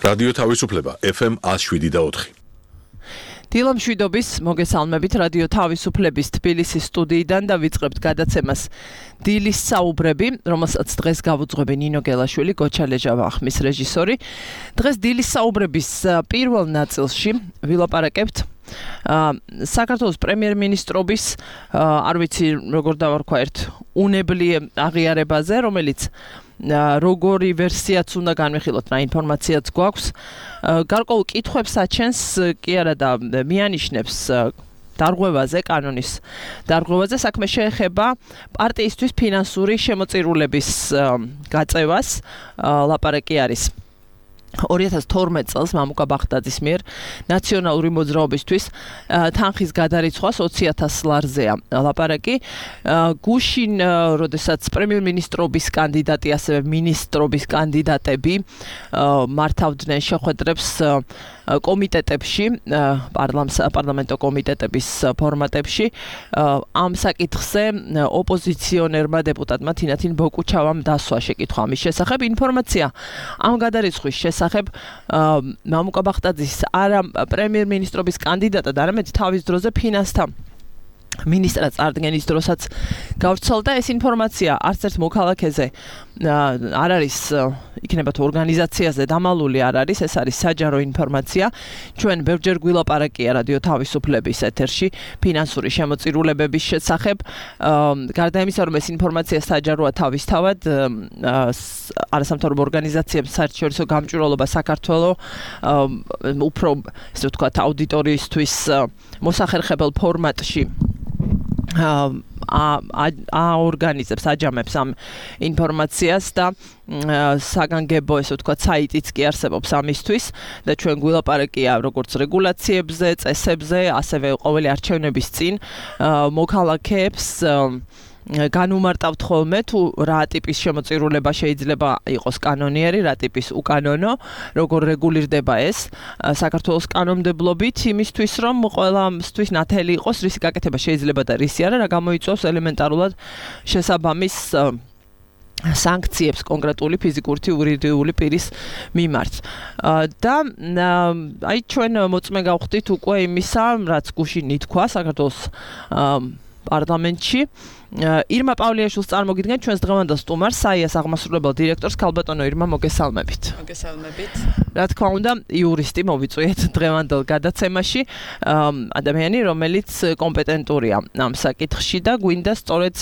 რადიო თავისუფლება FM 107.4. დილამშვიდობის მოგესალმებით რადიო თავისუფლების თბილისის სტუდიიდან და ვიწყებთ გადაცემას დილის საუბრები, რომელსაც დღეს გავუძღვები ნინო გელაშვილი, გოჩა ლეჟავა ახმის რეჟისორი. დღეს დილის საუბრების პირველ ნაწილში ვილაპარაკებთ საქართველოს პრემიერ-მინისტრობის არ ვიცი როგორ დავარქვა ერთ უნებლიე აღიარებაზე, რომელიც როგორი ვერსიაც უნდა განვიხილოთ, რა ინფორმაციაც გვაქვს. გარკვეულ კითხვებს აჩენს კი არა და მიანიშნებს დარღვევაზე, კანონის დარღვევაზე. საქმე შეეხება პარტიისთვის ფინანსური შემოწირულების გაწევას. ლაპარაკი არის 2012 წელს მამუკა ბახტაძის მიერ ნაციონალური მოძრაობისთვის თანხის გადარიცხვას 20,000 ლარზეა ლაპარაკი. გუშინ, როდესაც პრემიერ-მინისტრობის კანდიდატი, ასევე მინისტრობის კანდიდატები მართავდნენ შეხვედრებს კომიტეტებში, პარლამენტო კომიტეტების ფორმატებში, ამ საკითხზე ოპოზიციონერმა დეპუტატმა თინათინ ბოკუჩავამ დასვა შეკითხვა ამის შესახებ. ინფორმაცია ამ გადარიცხვის შესახებ მამუკა ბახტაძის არა პრემიერ-მინისტრობის კანდიდატად, არამედ თავის დროზე ფინანსთა მინისტრად წარდგენის დროსაც გავრცელდა. ეს ინფორმაცია არც ერთ მოქალაქეზე არ არის, იქნება თუ ორგანიზაციაზე დამალული არ არის, ეს არის საჯარო ინფორმაცია. ჩვენ ბევრჯერ გვილაპარაკია რადიო თავისუფლების ეთერში ფინანსური შემოწირულებების შესახებ. გარდა იმისა, რომ ეს ინფორმაცია საჯაროა თავისთავად, არასამთავრობო ორგანიზაციებს საერთაშორისო გამჭვირვალობა საქართველოს უფრო, ესე ვთქვათ, აუდიტორიისთვის მოსახერხებელ ფორმატში აორგანიზებს, აჯამებს ამ ინფორმაციას და საგანგებო, ესე ვთქვათ, საიტიც კი არსებობს ამისთვის და ჩვენ გვილაპარაკია როგორც რეგულაციებზე, წესებზე, ასევე ყოველი არჩევნების წინ მოქალაქეებს განუმარტავთ ხოლმე თუ რა ტიპის შემოწირულება შეიძლება იყოს კანონიერი, რა ტიპის უკანონო, როგორ რეგულირდება ეს საქართველოს კანონმდებლობით, იმისთვის რომ ყველასთვის ნათელი იყოს რისი გაკეთება შეიძლება და რისი არა, რა გამოიწვევს ელემენტარულად შესაბამის სანქციებს კონკრეტული ფიზიკური თუ იურიდიული პირის მიმართ. და აი ჩვენ მოწმე გავხდით უკვე იმისა, რაც გუშინ ითქვა საქართველოს პარლამენტში. ირმა პავლიაშვილს წარმოგიდგენთ ჩვენს დღევანდელ სტუმარს, საიას აღმასრულებელ დირექტორს. ქალბატონო ირმა, მოგესალმებით. მოგესალმებით. რა თქმა უნდა, იურისტი მოვიწვიეთ დღევანდელ გადაცემაში, ადამიანი, რომელიც კომპეტენტურია ამ საკითხში და გვინდა სწორედ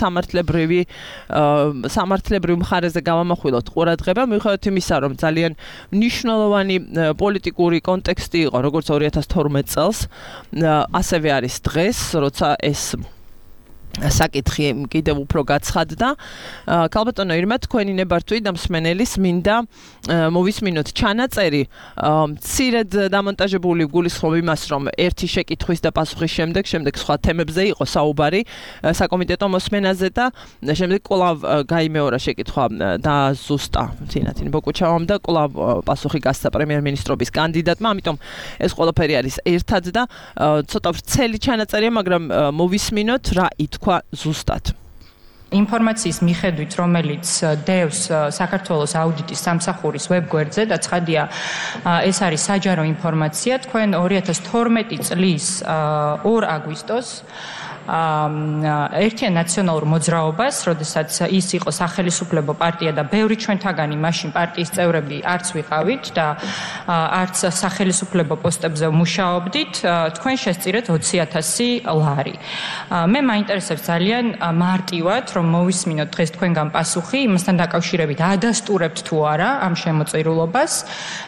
სამართლებრივ მხარეზე გავამახვილოთ ყურადღება, მიუხედავად იმისა, რომ ძალიან მნიშვნელოვანი პოლიტიკური კონტექსტი იყო, როგორც 2012 წელს, ასევე არის დღეს, როცა ეს საკითხი კიდევ უფრო გაცხადდა. ქალბატონო ირმა, თქვენი ნებართვით და მსმენელის მინდა მოვისმინოთ ჩანაწერი მცირედ დამონტაჟებული გულისხმობ იმას, რომ ერთი შეკითხვის და პასუხის შემდეგ სხვა თემებზე იყო საუბარი საკომიტეტო მოსმენაზე და შემდეგ კვლავ გაიმეორა შეკითხვა და ზუსტა თინათინ ბოკუჩავამ და კვლავ პასუხი გასცა პრემიერ-მინისტრობის კანდიდატმა, ამიტომ ეს ყველაფერი არის ერთად და ცოტა ვრცელი ჩანაწერია, მაგრამ მოვისმინოთ რა თქვა ზუსტად. ინფორმაციის მიხედვით, რომელიც დევს საქართველოს აუდიტის სამსახურის ვებგვერდზე და ცხადია, ეს არის საჯარო ინფორმაცია, თქვენ 2012 წლის 2 აგვისტოს ერთიან ნაციონალურ მოძრაობას, როდესაც ის იყო სახელისუფლებო პარტია და ბევრი ჩვენთაგანი მაშინ პარტიის წევრები არც ვიყავით და არც სახელისუფლებო პოსტებზე მუშაობდით, თქვენ შესწირეთ 20,000 ლარი. მე მაინტერესებს ძალიან მარტივად, რომ მოვისმინოთ დღეს თქვენგან პასუხი იმასთან დაკავშირებით, ადასტურებთ თუ არა ამ შემოწირულობას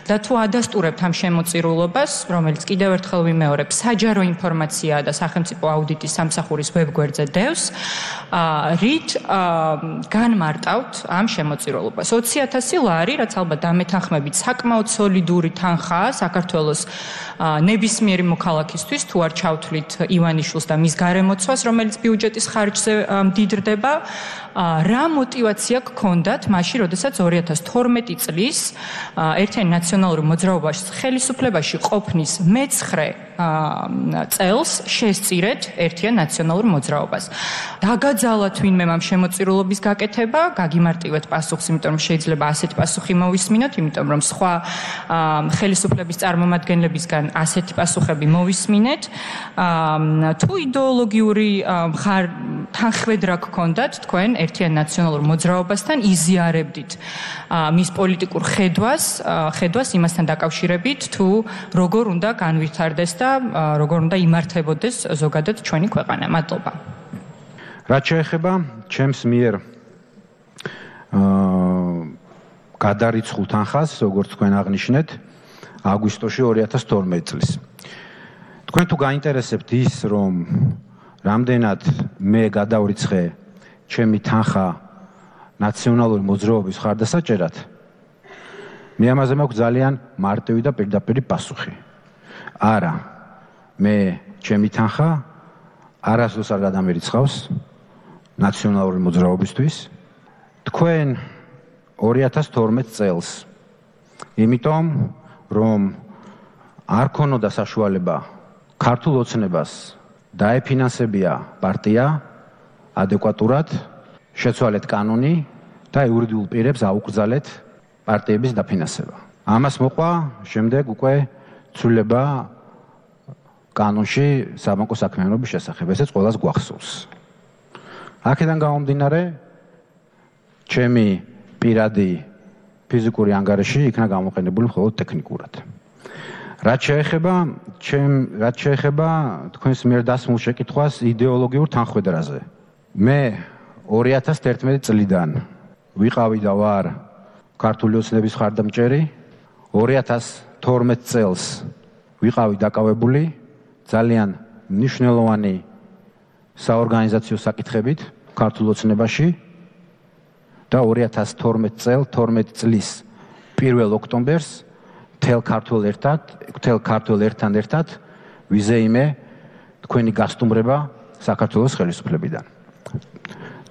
და თუ ადასტურებთ ამ შემოწირულობას, რომელიც კიდევ ერთხელ ვიმეორებ, საჯარო ინფორმაციაა და სახელმწიფო აუდიტის სამსახურის ვებგვერდზე დევს, რით განმარტავთ ამ შემოწირულობას. 20,000 ლარი, რაც ალბათ დამეთანხმებით საკმაოდ სოლიდური თანხაა საქართველოს ნებისმიერი მოქალაქისთვის, თუ არ ჩავთვლით ივანიშვილს და მის გარემოცვას, რომელიც ბიუჯეტის ხარჯზე მდიდრდება, რა мотивация გქონდათ მაშინ, როდესაც 2012 წლის ერთიანი ნაციონალური მოძრაობაში ხელისუფლებაში ყოფნის მე-9 წელს შესწირეთ ერთიან ნაციონალურ მოძრაობას. დაგაძალათ ვინმე ამ შემოწირულობის გაკეთება, გაგიმარტივეთ პასუხს, იმიტომ რომ შეიძლება ასეთი პასუხი მოვისმინოთ, იმიტომ რომ სხვა ხელისუფლების წარმომადგენლებისგან ასეთი პასუხები მოვისმინეთ. თუ იდეოლოგიური თანხმედრა გქონდათ თქვენ ერთიან ნაციონალურ მოძრაობასთან, იზიარებდით მის პოლიტიკურ ხედვას იმასთან დაკავშირებით, თუ როგორ უნდა განვითარდეს და როგორ უნდა იმართებოდეს ზოგადად ჩვენი ქვეყანა. მადლობა. რაც შეეხება ჩემს მიერ გადარიცხულ თანხას, როგორც თქვენ აღნიშნეთ, აგვისტოში 2012 წლის. თქვენ თუ გაინტერესებთ ის, რომ რამდენად მე გადავრიცხე ჩემი თანხა ნაციონალური მოძრაობის ხარდასაჭერად, მე ამაზე მაქვს ძალიან მარტივი და პირდაპირი პასუხი. არა, მე ჩემი თანხა არასდროს არ გადამერიცხავს ნაციონალური მოძრაობისთვის. თქვენ 2012 წელს, იმიტომ რომ არ ქონოდა საშუალება ქართულ ოცნებას დაეფინანსებია პარტია ადეკვატურად, შეცვალეთ კანონი და იურიდიულ პირებს აუკრძალეთ პარტიების დაფინანსება. ამას მოყვა შემდეგ უკვე ცვლილება კანონში საბანკო საქმიანობის შესახებ, ესეც ყველას გვახსოვს. აქედან გამომდინარე, ჩემი პირადი ფიზიკური ანგარიში იქნა გამოყენებული მხოლოდ ტექნიკურად. რაც შეეხება თქვენს მიერ დასმულ შეკითხვას იდეოლოგიურ თანხმედრაზე. მე 2011 წლიდან ვიყავი და ვარ ქართული ოცნების მხარდამჭერი, 2012 წელს ვიყავი დაკავებული ძალიან მნიშვნელოვანი საორგანიზაციო საკითხებით ქართულ ოცნებაში და 2012 წლის 1 ოქტომბერს მთელ ქართველ ერთთან ერთად ვიზეიმე თქვენი გასტუმრება საქართველოს ხელისუფლებიდან.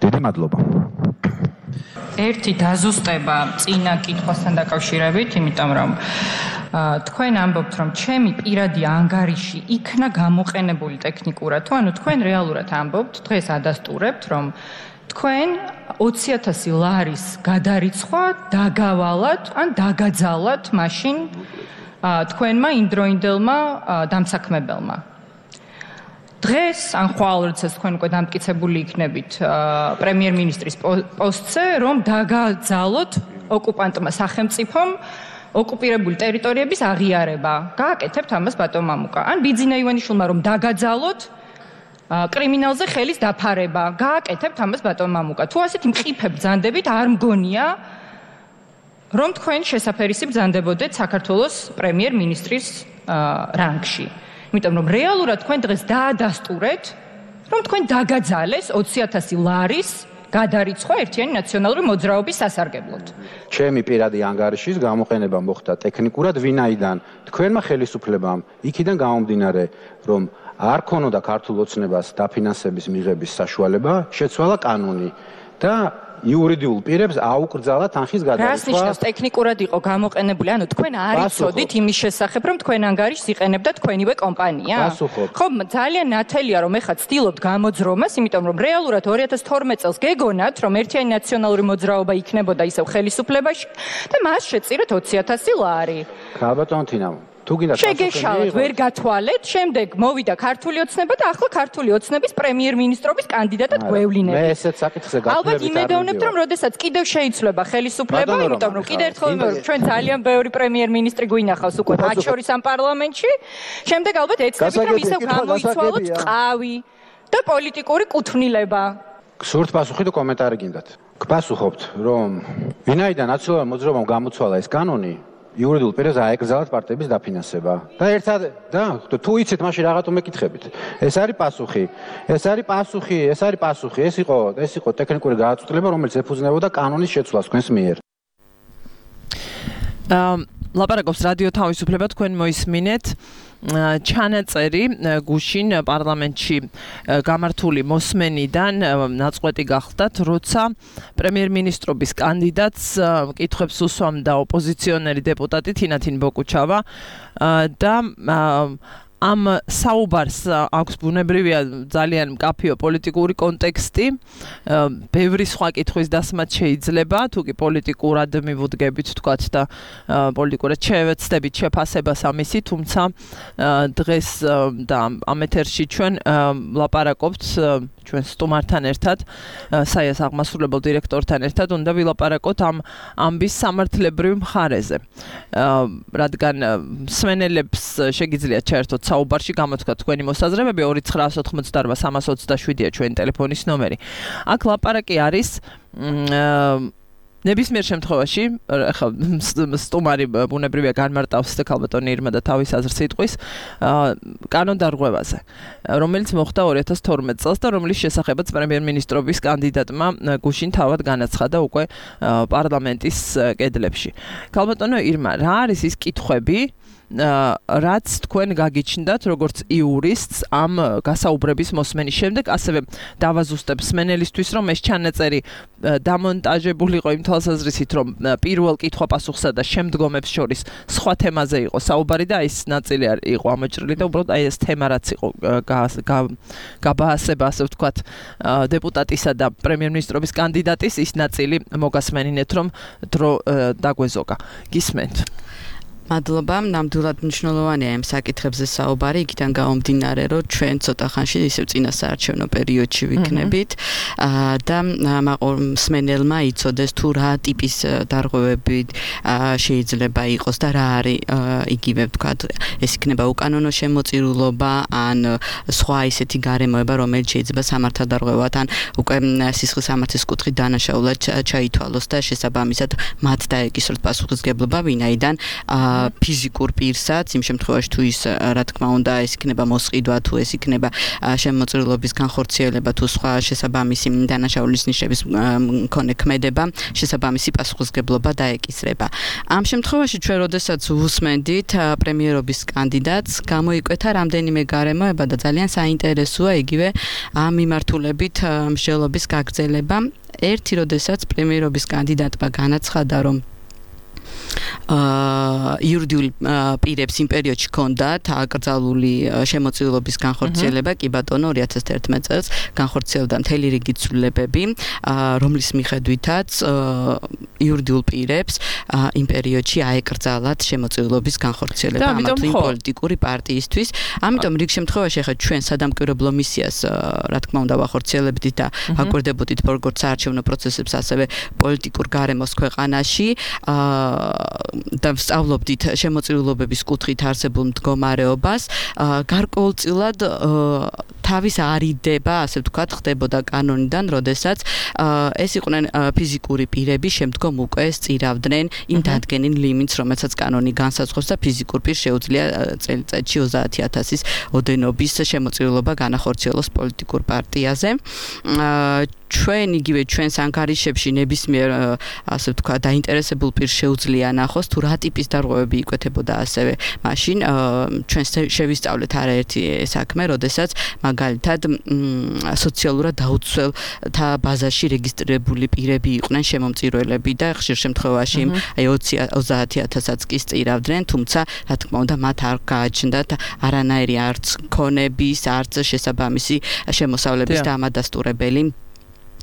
დიდი მადლობა. ერთი დაზუსტება წინა კითხვასთან დაკავშირებით, იმიტომ რომ თქვენ ამბობთ, რომ ჩემი პირადი ანგარიში იქნა გამოყენებული ტექნიკურად, თუ ანუ თქვენ რეალურად ამბობთ, დღეს ადასტურებთ, რომ თქვენ 20,000 ლარის გადარიცხვა დაგავალათ ან დაგაძალათ მაშინ თქვენმა იმდროინდელმა დამსაქმებელმა. დღეს ან ხვალ როდესაც თქვენ უკვე დამტკიცებული იქნებით პრემიერ-მინისტრის პოსტზე, რომ დაგაძალოთ ოკუპანტმა სახელმწიფომ ოკუპირებული ტერიტორიების აღიარება. გააკეთებთ ამას ბატონ მამუკა. ან ბიძინა ივანიშვილმა რომ დაგაძალოთ კრიმინალზე ხელის დაფარება. გააკეთებთ ამას ბატონ მამუკა. თუ ასეთი მყიფე ბრძანდებით არ მგონია, რომ თქვენ შესაფერისი ბრძანდებოდეთ საქართველოს პრემიერ-მინისტრის რანგში. იმიტომ რომ რეალურად თქვენ დღეს დაადასტურეთ, რომ თქვენ დაგაძალეს 20,000 ლარის გადარიცხვა ერთიანი ნაციონალური მოძრაობის სასარგებლოდ. ჩემი პირადი ანგარიშის გამოყენება მოხდა ტექნიკურად, ვინაიდან თქვენმა ხელისუფლებამ იქიდან გამომდინარე, რომ არ ქონოდა ქართულ ოცნებას დაფინანსების მიღების საშუალება, შეცვალა კანონი და იურიდიულ პირებს აუკრძალა თანხის გადარიცხვა. რას ნიშნავს ტექნიკურად იყო გამოყენებული? ანუ თქვენ არ იცოდით იმის შესახებ, რომ თქვენ ანგარიშს იყენებდა თქვენივე კომპანია? ხო, ძალიან ნათელია, რომ ეხლა ცდილობთ გამოძრომას, იმიტომ რომ რეალურად 2012 წელს გეგონათ, რომ ერთიანი ნაციონალური მოძრაობა იქნებოდა ისევ ხელისუფლებაში და მას შეწირეთ 20,000 ლარი. ბატონო თინა, თუ გინდა შეგეშალოთ, ვერ გათვალეთ, შემდეგ მოვიდა ქართული ოცნება და ახლა ქართული ოცნების პრემიერ-მინისტრობის კანდიდატად გვევლინებით. მე ესეც საკითხზე გათვლებით. ალბათ იმედოვნებთ, რომ როდესაც კიდევ შეიცვლება ხელისუფლება, იმიტომ რომ კიდევ ერთხელ ჩვენ ძალიან ბევრი პრემიერ-მინისტრი გვინახავს უკვე მათ შორის ამ პარლამენტში, შემდეგ ალბათ ეცნებით, რომ ისევ გამოიცვალოთ ყავი და პოლიტიკური კუთვნილება. სურთ პასუხი თუ კომენტარი გინდათ? გპასუხობთ, რომ ვინაიდან ნაციონალურ მოძრაობამ გამოცვალა ეს კანონი, იურიდიულ პირებს აეკრძალათ პარტიების დაფინანსება. და ერთად და თუ იცით, მაშინ რაღაცა მეკითხებით. ეს არის პასუხი. ეს იყო ტექნიკური გადაწყვეტილება, რომელიც ეფუძნებოდა კანონის შეცვლას თქვენს მიერ. ლაპარაკობს რადიო თავისუფლება, თქვენ მოისმინეთ ჩანაწერი გუშინ პარლამენტში გამართული მოსმენიდან ნაწყვეტი გახდათ, როცა პრემიერ-მინისტრობის კანდიდატს კითხვებს უსვამდა ოპოზიციონერი დეპუტატი თინათინ ბოკუჩავა და ამ საუბარს აქვს ბუნებრივია ძალიან მკაფიო პოლიტიკური კონტექსტი, ბევრი სხვა კითხვის დასმაც შეიძლება, თუ კი პოლიტიკურად მივუდგებით თქვათ და პოლიტიკურად შევეცდებით შეფასებას ამისი, თუმცა დღეს და ამ ეთერში ჩვენ ვლაპარაკობთ ჩვენ სტუმართან ერთად, საიას აღმასრულებელ დირექტორთან ერთად უნდა ვილაპარაკოთ ამ ამბის სამართლებრივ მხარეზე. რადგან მსმენელებს შეგიძლიათ ჩაერთოთ საუბარში, გამოთქვათ თქვენი მოსაზრებები 2988327-ია ჩვენი ტელეფონის ნომერი. აქ ლაპარაკი არის ნებისმიერ შემთხვევაში, ახლა სტუმარი ბუნებრივია განმარტავს ქალბატონი ირმა და თავის აზრს იტყვის კანონდარღვევაზე, რომელიც მოხდა 2012 წელს და რომლის შესახებაც პრემიერ-მინისტრობის კანდიდატმა გუშინ თავად განაცხადა უკვე პარლამენტის კედლებში. ქალბატონო ირმა, რა არის ის კითხვები, რაც თქვენ გაგიჩნდათ როგორც იურისტს ამ გასაუბრების მოსმენის შემდეგ, ასევე დავაზუსტებ მსმენელისთვის, რომ ეს ჩანაწერი დამონტაჟებული იყო იმ თვალსაზრისით, რომ პირველ კითხვა-პასუხსა და შემდგომებს შორის სხვა თემაზე იყო საუბარი და ის ნაწილი იყო ამოჭრილი და უბრალოდ ეს თემა რაც იყო გაბაასება, ასე ვთქვათ, დეპუტატისა და პრემიერ-მინისტრობის კანდიდატის, ის ნაწილი მოგასმენინეთ, რომ დრო დაგვეზოგა. გისმენთ. მადლობა, ნამდვილად მნიშვნელოვანია ამ საკითხებზე საუბარი, იქიდან გამომდინარე, რომ ჩვენ ცოტა ხანში ისევ წინასაარჩევნო პერიოდში ვიქნებით და მსმენელმა იცოდეს თუ რა ტიპის დარღვევები შეიძლება იყოს და რა არის იგივე ვთქვათ, ეს იქნება უკანონო შემოწირულობა ან სხვა ისეთი გარემოება, რომელიც შეიძლება სამართალდარღვევად ან უკვე სისხლის სამართლის კუთხით დანაშაულად ჩაითვალოს და შესაბამისად მათ დაეკისროთ პასუხისმგებლობა, ვინაიდან ფიზიკურ პირსაც, იმ შემთხვევაში თუ ის რა თქმა უნდა ეს იქნება მოსყიდვა, თუ ეს იქნება შემოწირულობის განხორციელება, თუ სხვა შესაბამისი დანაშაულის ნიშნების მქონე ქმედება, შესაბამისი პასუხისმგებლობა დაეკისრება. ამ შემთხვევაში ჩვენ როდესაც ვუსმენდით პრემიერობის კანდიდატს, გამოიკვეთა რამდენიმე გარემოება და ძალიან საინტერესოა იგივე ამ მიმართულებით მსჯელობის გაგრძელება. ერთი, როდესაც პრემიერობის კანდიდატმა განაცხადა, რომ იურიდიულ პირებს იმ პერიოდში ჰქონდათ აკრძალული შემოწირულობის განხორციელება, კი ბატონო 2011 წელს განხორციელდა მთელი რიგი ცვლილებები, რომლის მიხედვითაც იურიდიულ პირებს იმ პერიოდში აეკრძალათ შემოწირულობის განხორციელება ამა თუ იმ პოლიტიკური პარტიისთვის. ამიტომ რიგ შემთხვევაში ახლა ჩვენ სადამკვირვებლო მისიას რა თქმა უნდა ვახორციელებდით და აკვირდებოდით როგორც საარჩევნო პროცესებს, ასევე პოლიტიკურ გარემოს ქვეყანაში და ვსწავლობდით შემოწირულობების კუთხით არსებულ მდგომარეობას, გარკვეულწილად თავის არიდება, ასე ვთქვათ, ხდებოდა კანონიდან, როდესაც ეს იყვნენ ფიზიკური პირები, შემდგომ უკვე სწირავდნენ იმ დადგენილ ლიმინტს, რომელსაც კანონი განსაზღვრავს და ფიზიკურ პირს შეუძლია წელიწადში 30,000-ის ოდენობის შემოწირულობა განახორციელოს პოლიტიკურ პარტიაზე. ჩვენ იგივე ჩვენს ანგარიშებში ნებისმიერ ასე ვთქვათ დაინტერესებულ პირს შეუძლია ნახოს თუ რა ტიპის დარღვევები იკვეთებოდა ასევე მაშინ ჩვენ შევისწავლეთ არაერთი საქმე, როდესაც მაგალითად სოციალურად დაუცველთა ბაზაში რეგისტრირებული პირები იყვნენ შემომწირველები და ხშირ შემთხვევაში აი 30,000-აც კი სწირავდნენ, თუმცა რა თქმა უნდა მათ არ გააჩნდათ არანაირი არც ქონების, არც შესაბამისი შემოსავლების და ამადასტურებელი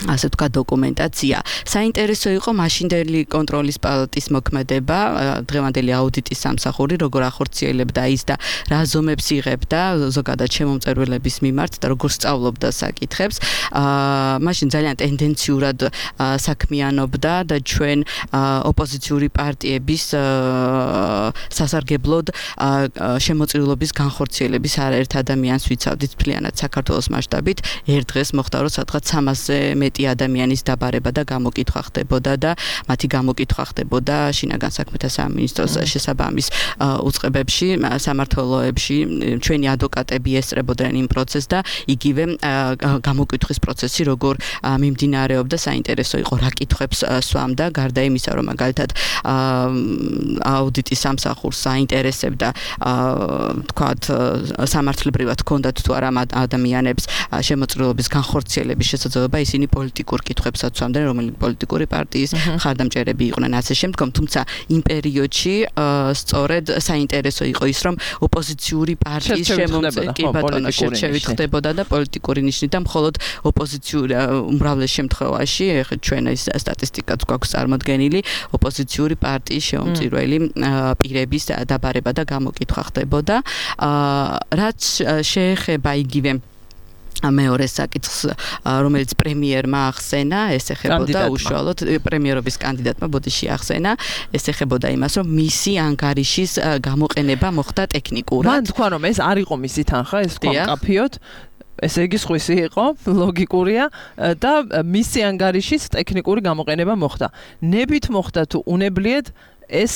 ასე ვთქვათ დოკუმენტაცია. საინტერესო იყო მაშინდელი კონტროლის პალატის მოქმედება, დღევანდელი აუდიტის სამსახური, როგორ ახორციელებდა ის და რა ზომებს იღებდა ზოგადად შემომწირველების მიმართ და როგორ სწავლობდა საკითხებს. მაშინ ძალიან ტენდენციურად საქმიანობდა და ჩვენ ოპოზიციური პარტიების სასარგებლოდ შემოწირულობის განხორციელების არაერთ ადამიანს ვიცავდით მთლიანად საქართველოს მასშტაბით. ერთ დღეს მოხდა, რომ სადღაც 300-ზე მეტი ადამიანის დაბარება და გამოკითხვა ხდებოდა და მათი გამოკითხვა ხდებოდა შინაგან საქმეთა სამინისტროს შესაბამის უწყებებში, სამართლოებში. ჩვენი ადვოკატები ესწრებოდნენ იმ პროცესს და იგივე გამოკითხვის პროცესი როგორ მიმდინარეობდა, საინტერესო იყო რა კითხვებს სვამდა, გარდა იმისა, რომ მაგალითად აუდიტის სამსახურს საინტერესებდა თქვათ სამართლებრივად ჰქონდათ თუ არა ადამიანებს შემოწირულობის განხორციელების შესაძლებლობა, ისინი პოლიტიკურ კითხვებსაც ვამდნენ, რომელი პოლიტიკური პარტიის მხარდამჭერები იყვნენ ასე შემდგომ, თუმცა იმ პერიოდში სწორედ საინტერესო იყო ის, რომ ოპოზიციური პარტიის შერჩევით ხდებოდა და პოლიტიკური ნიშნით და მხოლოდ ოპოზიციური უმრავლეს შემთხვევაში, ჩვენ ეს სტატისტიკაც გვაქვს წარმოდგენილი, ოპოზიციური პარტიის შეუმწირველი პირების დაბარება და გამოკითხვა ხდებოდა. რაც შეეხება იგივე მეორე საკითხს, რომელიც პრემიერმა ახსენა, ეს ეხებოდა უშუალოდ პრემიერობის კანდიდატმა ბოდიში ახსენა, ეს ეხებოდა იმას, რომ მისი ანგარიშის გამოყენება მოხდა ტექნიკურად. მან თქვა, რომ ეს არ იყო მისი თანხა, ეს თქვა მკაფიოდ. ესე იგი სხვისი იყო, ლოგიკურია და მისი ანგარიშის ტექნიკური გამოყენება მოხდა. ნებით მოხდა თუ უნებლიეთ ეს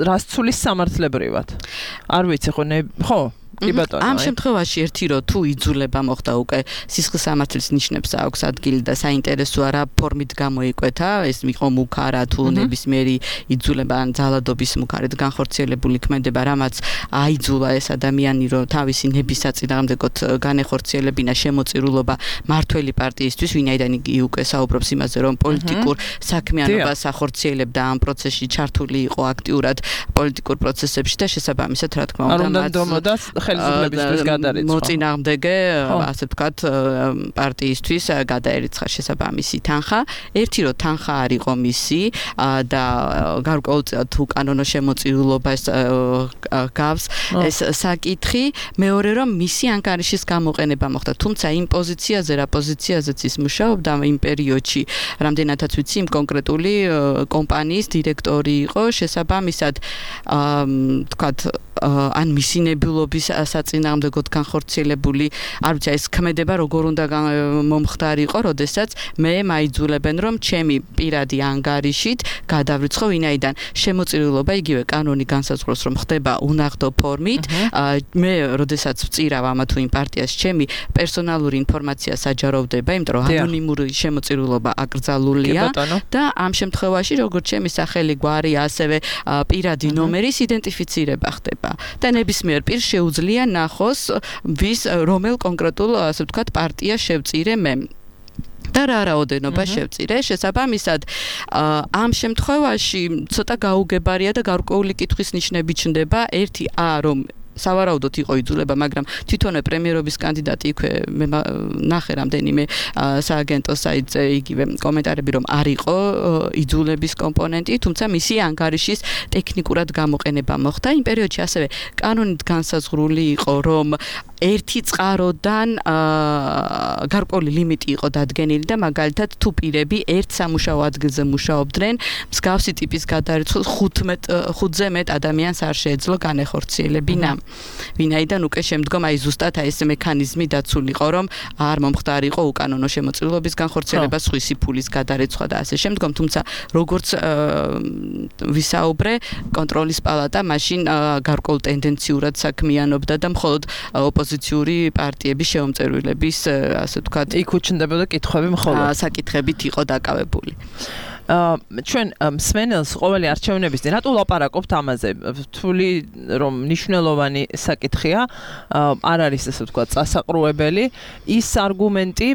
რას ცulis სამართლებრივად. არ ვიცი ხო? კი ბატონო. ამ შემთხვევაში ერთი რო თუ იძულება მოხდა უკვე სისხლის სამართლის ნიშნებს აქვს ადგილი და საინტერესოა რა ფორმით გამოიკვეთა, ეს იყო მუქარა თუ ნებისმიერი იძულება ან ძალადობის მუქარით განხორციელებული ქმედება, რამაც აიძულა ეს ადამიანი რომ თავისი ნების საწინააღმდეგოდ განეხორციელებინა შემოწირულობა მართველი პარტიისთვის, ვინაიდან იგი უკვე საუბრობს იმაზე, რომ პოლიტიკურ საქმიანობას ახორციელებდა ამ პროცესში ჩართული იყო აქტიურად პოლიტიკურ პროცესებში და შესაბამისად რა თქმა უნდა მათ ხელისუფლებისთვის გადარიცხა. მოწინააღმდეგე, ასე ვთქვათ, პარტიისთვის გადაერიცხა შესაბამისი თანხა. ერთი რომ თანხა არ იყო მისი და გარკვეულწილად უკანონო შემოწირულობას გავს ეს საკითხი, მეორე რომ მისი ანგარიშის გამოყენება მოხდა. თუმცა იმ პოზიციაზე, რა პოზიციაზეც ის მუშაობდა იმ პერიოდში, რამდენადაც ვიცი, იმ კონკრეტული კომპანიის დირექტორი იყო, შესაბამისად, ვთქვათ, ან მისი ნებულობის საწინააღმდეგოდ განხორციელებული, არ ვიცი, ეს ქმედება როგორ უნდა მომხდარიყო, როდესაც მე მაიძულებენ, რომ ჩემი პირადი ანგარიშით გადავრიცხო, ვინაიდან შემოწირულობა იგივე კანონი განსაზღვრავს, რომ ხდება უნაღდო ფორმით, მე როდესაც ვწირავ ამა თუ იმ პარტიას, ჩემი პერსონალური ინფორმაცია საჯაროვდება, იმიტომ რომ ანონიმური შემოწირულობა აკრძალულია და ამ შემთხვევაში როგორც ჩემი სახელი, გვარი, ასევე პირადი ნომერის იდენტიფიცირება ხდება. და ნებისმიერ პირს შეუძლია ნახოს ვის რომელ კონკრეტულ ასე ვთქვათ პარტიას შევწირე მე და რა რაოდენობა შევწირე. შესაბამისად ამ შემთხვევაში ცოტა გაუგებარია და გარკვეული კითხვის ნიშნები ჩნდება. ერთი რომ სავარაუდოდ იყო იძულება, მაგრამ თვითონვე პრემიერობის კანდიდატი იქვე მე ნახე რამდენიმე სააგენტო საიტზე იგივე კომენტარები, რომ არ იყო იძულების კომპონენტი, თუმცა მისი ანგარიშის ტექნიკურად გამოყენება მოხდა. იმ პერიოდში ასევე კანონით განსაზღვრული იყო, რომ ერთი წყაროდან გარკვეული ლიმიტი იყო დადგენილი და მაგალითად თუ პირები ერთ სამუშაო ადგილზე მუშაობდნენ, მსგავსი ტიპის გადარიცხვის 5-ზე მეტ ადამიანს არ შეეძლო განეხორციელებინა. ვინაიდან უკვე შემდგომ ზუსტად ეს მექანიზმი დაცულიყო, რომ არ მომხდარიყო უკანონო შემოწირულობის განხორციელება, სხვისი ფულის გადარეცხვა და ასე შემდგომ, თუმცა როგორც ვისაუბრე, კონტროლის პალატა მაშინ გარკვეულ ტენდენციურად საქმიანობდა და მხოლოდ ოპოზიციური პარტიების შეუმწერვილების, ასე ვთქვათ, იქ უჩნდებოდა კითხვები მხოლოდ საკითხებით იყო დაკავებული. ჩვენ მსმენელს ყოველი არჩევნების წინ რატო ვლაპარაკობთ ამაზე? თვლი რომ მნიშვნელოვანი საკითხია, არ არის ესე ვთქვათ წასაყრუებელი ის არგუმენტი,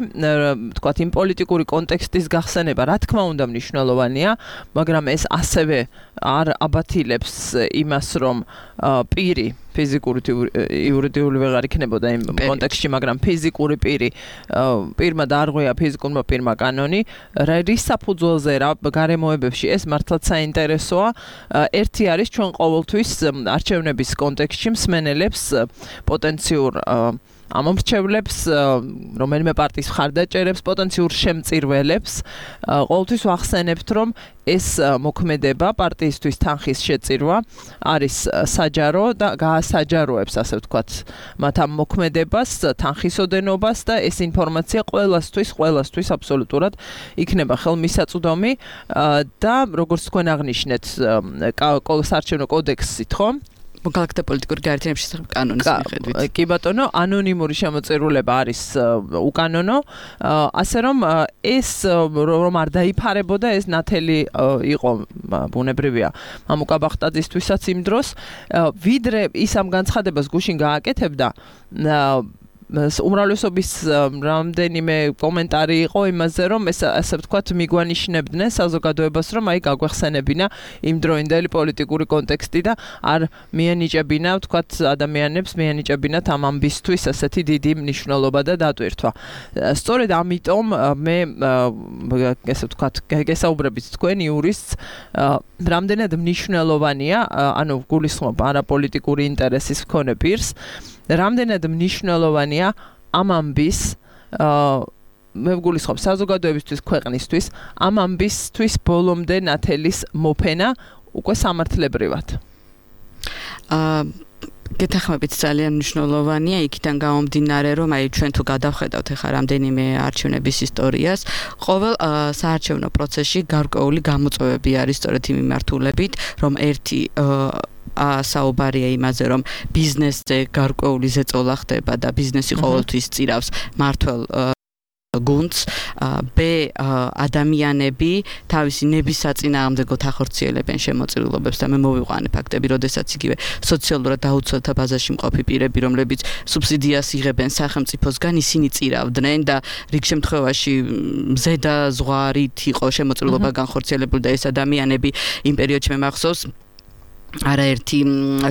ვთქვათ იმ პოლიტიკური კონტექსტის გახსენება, რა თქმა უნდა მნიშვნელოვანია, მაგრამ ეს ასევე არ აბათილებს იმას, რომ პირი ფიზიკური იურიდიული ვეღარ იქნებოდა იმ კონტექსტში, მაგრამ ფიზიკური პირმა დაარღვია ფიზიკურმა პირმა კანონი, რის საფუძველზე რა გარემოებებში ეს მართლაც საინტერესოა. ერთი არის ჩვენ ყოველთვის არჩევნების კონტექსტში მსმენელებს პოტენციურ ამომრჩევლებს, რომელიმე პარტიის მხარდაჭერებს, პოტენციურ შემწირველებს ყოველთვის ვახსენებთ, რომ ეს მოქმედება პარტიისთვის თანხის შეწირვა არის საჯარო და გაასაჯაროებს, ასე ვთქვათ, მათ ამ მოქმედებას, თანხის ოდენობას და ეს ინფორმაცია ყველასთვის აბსოლუტურად იქნება ხელმისაწვდომი და როგორც თქვენ აღნიშნეთ, საარჩევნო კოდექსით, ხო? მოქალაქეთა პოლიტიკური გაერთიანების შესახებ კანონის მიხედვით. კი ბატონო, ანონიმური შემოწირულობა არის უკანონო, ასე რომ ეს რომ არ დაიფარებოდა, ეს ნათელი იყო ბუნებრივია მამუკა ბახტაძისთვისაც იმ დროს, ვიდრე ის ამ განცხადებას გუშინ გააკეთებდა, უმრავლესობის რამდენიმე კომენტარი იყო იმაზე, რომ ეს ასე ვთქვათ მიგვანიშნებდნენ საზოგადოებას, რომ აი გაგვეხსენებინა იმ დროინდელი პოლიტიკური კონტექსტი და არ მიანიჭებინა, ვთქვათ, ადამიანებს მიანიჭებინათ ამ ამბისთვის ასეთი დიდი მნიშვნელობა და დატვირთვა. სწორედ ამიტომ მე ესე ვთქვათ, გესაუბრებით თქვენ იურისტს, რამდენად მნიშვნელოვანია, ანუ გულისხმობ არაპოლიტიკური ინტერესის მქონე პირს, რამდენად მნიშვნელოვანია ამ ამბის მე ვგულისხმობ საზოგადოებისთვის, ქვეყნისთვის, ამ ამბისთვის ბოლომდე ნათელის მოფენა უკვე სამართლებრივად. გეთახმებით ძალიან მნიშვნელოვანია იქიდან გამომდინარე, რომ აი ჩვენ თუ გადავხედავთ ახლა რამდენიმე არჩევნების ისტორიას, ყოველ საარჩევნო პროცესში გარკვეული გამოწვევები არის სწორედ იმ მიმართულებით, რომ ერთი საუბარია იმაზე, რომ ბიზნესზე გარკვეული ზეწოლა ხდება და ბიზნესი ყოველთვის წირავს მართლ გუნდს, B ადამიანები თავისი ნების საწინააღმდეგოდ ახორციელებენ შემოწირულობებს და მე მოვიყვანე ფაქტები, როდესაც იგივე სოციალურად დაუცველთა ბაზაში მყოფი პირები, რომლებიც სუბსიდიას იღებენ სახელმწიფოსგან, ისინი წირავდნენ და რიგ შემთხვევაში ზედა ზღვარით იყო შემოწირულობა განხორციელებული და ეს ადამიანები იმ პერიოდში მე მახსოვს არაერთი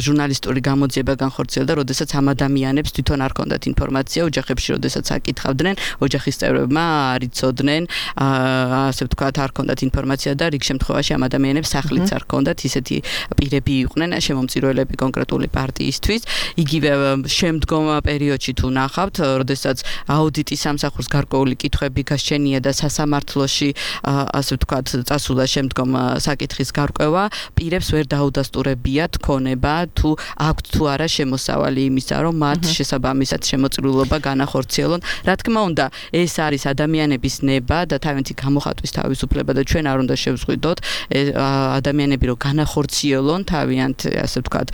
ჟურნალისტური გამოძიება განხორციელდა, როდესაც ამ ადამიანებს თვითონ არ ჰქონდათ ინფორმაცია ოჯახებში, როდესაც აკითხავდნენ, ოჯახის წევრებმა არ იცოდნენ, ასე ვთქვათ, არ ჰქონდათ ინფორმაცია და რიგ შემთხვევაში ამ ადამიანებს სახლიც არ ჰქონდათ, ისეთი პირები იყვნენ შემომწირველები კონკრეტული პარტიისთვის. იგივე შემდგომ პერიოდში თუ ნახავთ, როდესაც აუდიტის სამსახურს გარკვეული კითხვები გასჩენია და სასამართლოში, ასე ვთქვათ, წასულა შემდგომ საკითხის გარკვევა, პირებს ვერ დაუდასტურებიათ ქონება თუ აქვთ თუ არა შემოსავალი იმისა, რომ მათ შესაბამისად შემოწირულობა განახორციელონ. რა თქმა უნდა, ეს არის ადამიანების ნება და თავიანთი გამოხატვის თავისუფლება და ჩვენ არ უნდა შევზღვიდოთ ადამიანები რომ განახორციელონ თავიანთ, ასე ვთქვათ,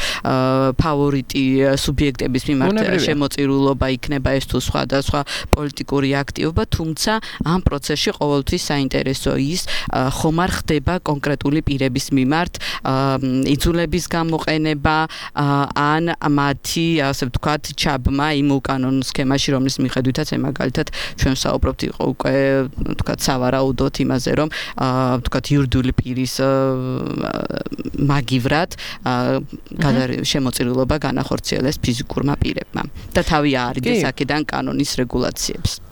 ფავორიტი სუბიექტების მიმართ შემოწირულობა იქნება ეს თუ სხვადასხვა პოლიტიკური აქტივობა, თუმცა ამ პროცესში ყოველთვის საინტერესო ის ხომ არ ხდება კონკრეტული პირების მიმართ იძულების გამოყენება ან მათი, ასე ვთქვათ, ჩაბმა იმ უკანონო სქემაში, რომლის მიხედვითაც მაგალითად ჩვენ საუბრობთ იყო უკვე, ვთქვათ, სავარაუდოდ იმაზე, რომ ვთქვათ, იურიდიული პირის მაგივრად შემოწირულობა განახორციელეს ფიზიკურმა პირებმა და თავი აარიდეს აქედან კანონის რეგულაციებს.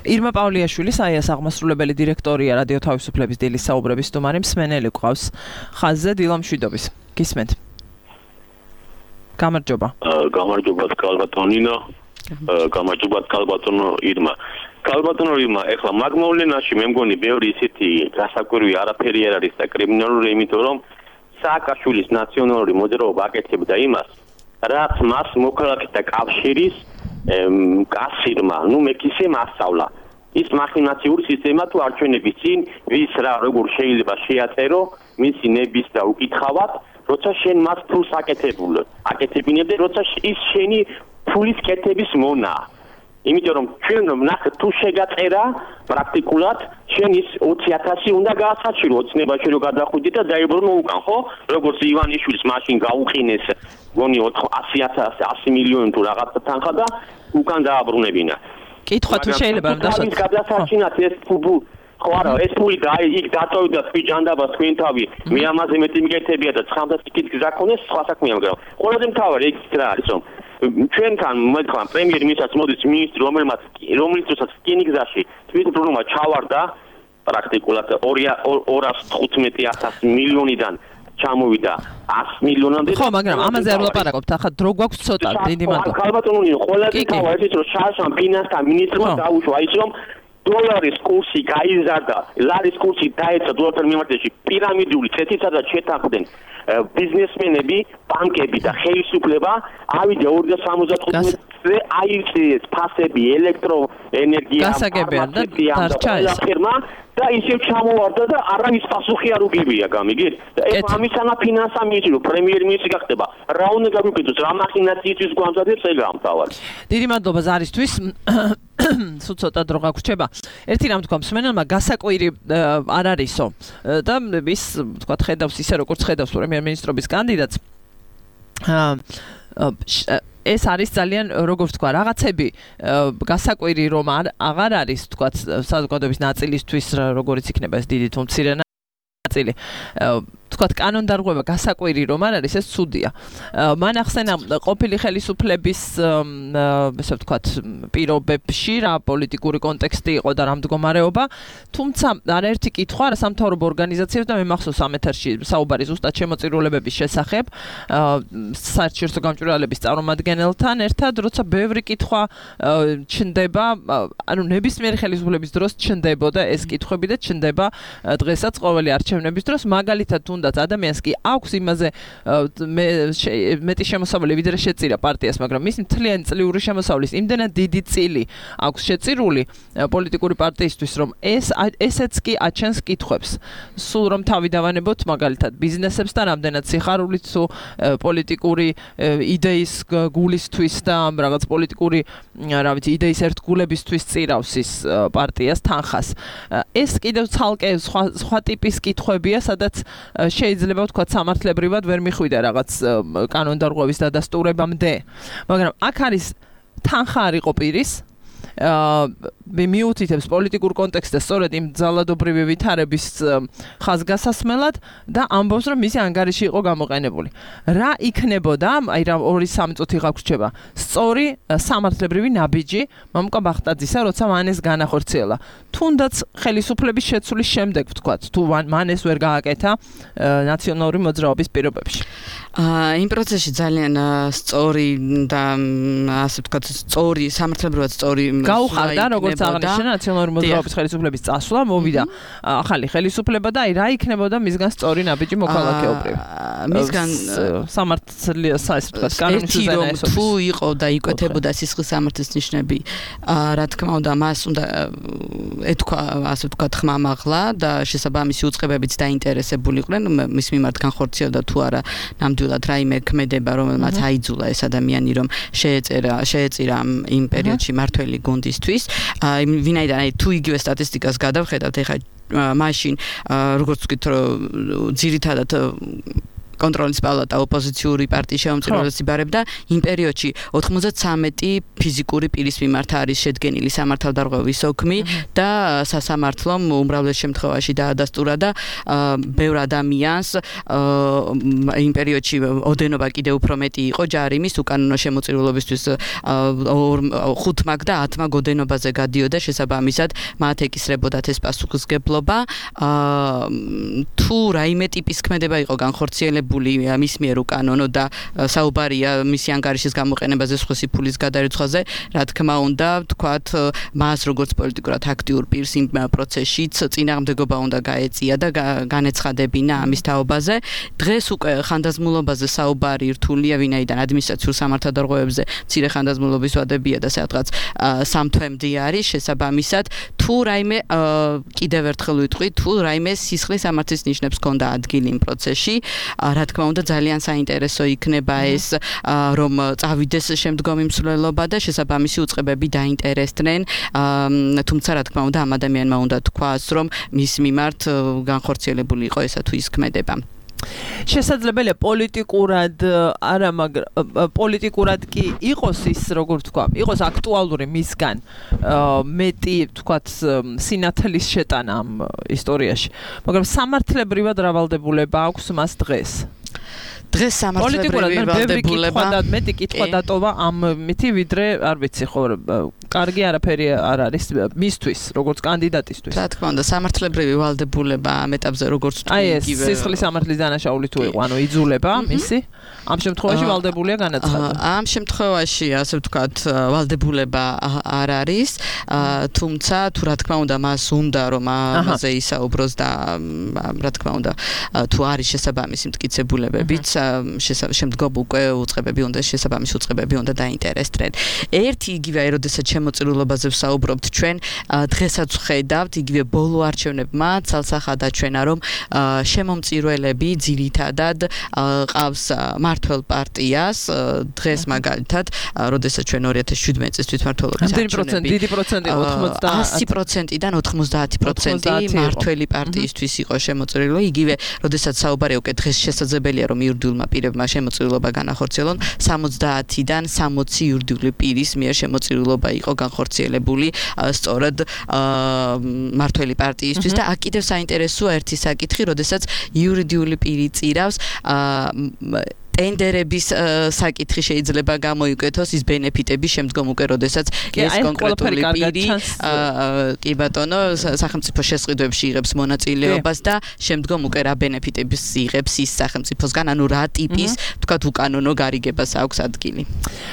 ირმა პავლიაშვილი, საიას აღმასრულებელი დირექტორია რადიო თავისუფლების დილის საუბრების სტუმარი, მსმენელი გვყავს ხაზზე დილა მშვიდობის. გისმენთ. გამარჯობა. გამარჯობა კალბატონინა. გამარჯობა კალბატონო ირმა. კალბატონო ირმა, ეხლა მაგმოვლენაში მე მგონი ბევრი ისეთი გასაკვირვი არაფერი არ არის და კრიმინალური, იმიტომ რომ სააკაშვილის ნაციონალური მოძრაობა აკეთებდა იმას, რაც მას მოქალაქეთა კავშირის კასირმა, მეკისე მასწავლა. ის მახინაციური სისტემა თუ არჩევნების წინ ვის რა როგორ შეიძლება შეაწერო მისი ნების და უკითხავად, როცა შენ მას ფულს აკეთებინებდე, როცა ის შენი ფულის კეთების მონაა. იმიტომ რომ ჩვენ ნახეთ თუ შეგაწერა პრაქტიკულად შენ ის 20,000 უნდა გაასაჩირო ოცნებაში რომ გადახვიდე და დაიბრუნო უკან, ხო? როგორც ივანიშვილის მაშინ გაუყინეს გონი 100 მილიონი თუ რაღაცა თანხა და უკან დააბრუნებინა. კითხვა თუ შეიძლება რომ დასაჩინოთ გადასაჩინათ ეს ფუბუ ხო არა ეს ფული და იქ დაწოვდა თქვი ჯანდაბას თქვენ თავი მე ამაზე მეტი მიკეთებია და 900 გზა ქონეს სხვა საქმეა მაგრამ ყველაზე მთავარი იქ რა არის რომ ჩვენთან მეთქვა პრემიერ-მინისტრს მოდის მინისტრი რომელიცაც რკინი გზაში თვითმფრინავმა ჩავარდა პრაქტიკულად 215,000 მილიონიდან ჩამოვიდა 100 მილიონამდე. ხო, მაგრამ ამაზე არ ვლაპარაკობთ. ახლა დრო გვაქვს ცოტა, დიდი მადლობა. კალბატონონი, ყველაზე თავი ის რომ შარშან ფინანსთა მინისტრმა დაუშვა ის რომ დოლარის კურსი გაიზარდა, ლარის კურსი დაეცა დოლართან მიმართებაში პირამიდული წეთისა და შეთანხმდნენ ბიზნესმენები, ბანკები და ხელისუფლება ავიდა 2065-ზე აირჩიეს ფასები, ელექტროენერგია, გასაგებია და დარჩა ეს. და ისევ ჩამოვარდა და არავის პასუხი არ უგებია, გამიგეთ? და ეს ამისანა ფინანსა მინისტრი, პრემიერ-მინისტრი გახდება. რა უნდა გაგვიკეთოს, რა მახინაციისთვის გვამზადებს ეგ ამთავარი. დიდი მადლობა ზარისთვის. სულ ცოტა დრო გაგვრჩება. ერთი რამ თქვა მსმენელმა გასაკვირი არ არისო. და ის თქვა ხედავს ისე როგორც ხედავს პრემიერ-მინისტრობის კანდიდატს. ეს არის ძალიან როგორც თქვა რაღაცები გასაკვირი რომ აღარ არის თქვა საზოგადოების ნაწილისთვის როგორიც იქნება ეს დიდი თუ მცირე ნაწილი თქვათ კანონდარღვევა გასაკვირი რომ არ არის ეს ცუდია. მან ახსენა ყოფილი ხელისუფლების ესე ვთქვათ პირობებში რა პოლიტიკური კონტექსტი იყო და რა მდგომარეობა, თუმცა არაერთი კითხვა არა სამთავრობო ორგანიზაციებს და მე მახსოვს ამ ეთერში საუბარი ზუსტად შემოწირულებების შესახებ საერთაშორისო გამჭვირვალების წარმომადგენელთან ერთად, როცა ბევრი კითხვა ჩნდება, ანუ ნებისმიერი ხელისუფლების დროს ჩნდებოდა ეს კითხვები და ჩნდება დღესაც ყოველი არჩევნების დროს, მაგალითად თუნდაც ადამიანს კი აქვს იმაზე მეტი შემოსავალი ვიდრე შეწირა პარტიას, მაგრამ მის მთლიანი წლიური შემოსავლის იმდენად დიდი წილი აქვს შეწირული პოლიტიკური პარტიისთვის, რომ ესეც კი აჩენს კითხვებს. სულ რომ თავი დავანებოთ მაგალითად ბიზნესებს და რამდენად სიხარულით თუ პოლიტიკური იდეის გულისთვის და რაღაც პოლიტიკური რა ვიცი იდეის ერთგულებისთვის წირავს ის პარტიას თანხას. ეს კიდევ ცალკე სხვა ტიპის კითხვებია, სადაც შეიძლება ვთქვათ სამართლებრივად ვერ მიხვიდა რაღაც კანონდარღვევის დადასტურებამდე. მაგრამ აქ არის თანხა არ იყო პირის მიუთითებს პოლიტიკურ კონტექსტზე სწორედ იმ ძალადობრივი ვითარების ხაზგასასმელად და ამბობს რომ მისი ანგარიში იყო გამოყენებული. რა იქნებოდა, აი რა 2-3 წუთი გაგვრჩება. სწორი სამართლებრივი ნაბიჯი მამუკა ბახტაძისა, როცა მან ეს განახორციელა. თუნდაც ხელისუფლების შეცვლის შემდეგ ვთქვათ, თუ მან ეს ვერ გააკეთა ნაციონალური მოძრაობის პირობებში. იმ პროცესში ძალიან სწორი და ასე ვთქვათ, სწორი სამართლებრივად სწორი გაუხარდა როგორც აღნიშნა ნაციონალური მოძრაობის ხელისუფლების წასვლა, მოვიდა ახალი ხელისუფლება და აი რა იქნებოდა მისგან სწორი ნაბიჯი მოქალაქეობრივი. მისგან სამართლის ასე ვთქვათ, კანონის უზენაესობის. თუ იყო და იკვეთებოდა სისხლის სამართლის ნიშნები, რა თქმა უნდა, მას უნდა ეთქვა ასე ვთქვათ ხმამაღლა და შესაბამისი უწყებებიც დაინტერესებულიყვნენ მის მიმართ განხორციელდა თუ არა ნამდვილად რაიმე ქმედება, რომელმაც აიძულა ეს ადამიანი რომ შეეწირა იმ პერიოდში მართველი გუნდისთვის. ვინაიდან აი თუ იგივე სტატისტიკას გადავხედავთ, ეხლა მაშინ როგორც ვთქვით, ძირითადად კონტროლის პალატა ოპოზიციური პარტიის შემომწირულებს იბარებდა იმ პერიოდში 93 ფიზიკური პირის მიმართ არის შედგენილი სამართალდარღვევის ოქმი და სასამართლომ უმრავლეს შემთხვევაში დაადასტურა და ბევრ ადამიანს იმ პერიოდში ოდენობა კიდევ უფრო მეტი იყო ჯარიმის უკანონო შემოწირულობისთვის 5 მაგ და 10 მაგ ოდენობაზე გადიოდა შესაბამისად მათ ეკისრებოდათ ეს პასუხისგებლობა თუ რაიმე ტიპის ქმედება იყო განხორციელებული მის მიერ უკანონო და საუბარია მისი ანგარიშის გამოყენებაზე სხვისი ფულის გადარიცხვაზე, რა თქმა უნდა, ვთქვათ, მას როგორც პოლიტიკურად აქტიურ პირს იმ პროცესშიც წინააღმდეგობა უნდა გაეწია და განეცხადებინა ამის თაობაზე. დღეს უკვე ხანდაზმულობაზე საუბარი რთულია, ვინაიდან ადმინისტრაციულ სამართალდარღვევებზე მცირე ხანდაზმულობის ვადებია და სადღაც 3 თვემდე არის შესაბამისად, თუ რაიმე კიდევ ერთხელ ვიტყვი, თუ რაიმე სისხლის სამართლის ნიშნებს ჰქონდა ადგილი იმ პროცესში, რა თქმა უნდა ძალიან საინტერესო იქნება ეს რომ წავიდეს შემდგომი მსვლელობა და შესაბამისი უწყებები დაინტერესდნენ, თუმცა რა თქმა უნდა ამ ადამიანმა უნდა თქვას რომ მის მიმართ განხორციელებული იყო ესა თუ ის ქმედება. შესაძლებელია პოლიტიკურად არა, მაგრამ პოლიტიკურად კი იყოს ის, როგორ ვთქვა, იყოს აქტუალური მისგან მეტი, ვთქვათ, სინათლის შეტანა ამ ისტორიაში. მაგრამ სამართლებრივად რა ვალდებულება აქვს მას დღეს? დღეს სამართლებრივი ვალდებულება და მეტი კითხვა დატოვა ამ მითი ვიდრე არ ვიცი ხო კარგი არაფერი არ არის მისთვის როგორც კანდიდატისთვის. რა თქმა უნდა სამართლებრივი ვალდებულება ამ ეტაპზე როგორც თუ იგივე სისხლის სამართლის დანაშაული თუ იყო, ანუ იძულება მისი ამ შემთხვევაში ვალდებულია განაცხადა. ამ შემთხვევაში ასე ვთქვათ ვალდებულება არ არის, თუმცა თუ რა თქმა უნდა მას უნდა რომ ამაზე ისაუბროს და რა თქმა უნდა თუ არის შესაბამისი მტკიცებულებებიც შემდგომ უკვე უწყებები უნდა შესაბამისი უწყებები უნდა დაინტერესდნენ. ერთი იგივე აი როდესაც შემოწირულობაზე ვსაუბრობთ ჩვენ დღესაც ვხედავთ იგივე ბოლო არჩევნებმა ცალსახად აჩვენა რომ შემომწირულები ძირითადად ყავს მართველ პარტიას დღეს მაგალითად როდესაც ჩვენ 2017 წლის თვითმმართველობის არჩევნები დიდი პროცენტი 100%-დან 90% მართველი პარტიისთვის იყო შემოწირული. იგივე როდესაც საუბარია უკვე დღეს შესაძლებელია რომ იურიდიული იურიდიულმა პირებმა შემოწირულობა განახორციელონ 70-დან 60 იურიდიული პირის მიერ შემოწირულობა იყო განხორციელებული სწორედ მართველი პარტიისთვის და აქ კიდევ საინტერესოა ერთი საკითხი, როდესაც იურიდიული პირი წირავს ტენდერების საკითხი შეიძლება გამოიკვეთოს ის ბენეფიტების შემდგომ უკვე როდესაც ეს კონკრეტული პირი კი ბატონო სახელმწიფო შესყიდვებში იღებს მონაწილეობას და შემდგომ უკვე რა ბენეფიტებს იღებს ის სახელმწიფოსგან, ანუ რა ტიპის თქვათ უკანონო გარიგებას აქვს ადგილი.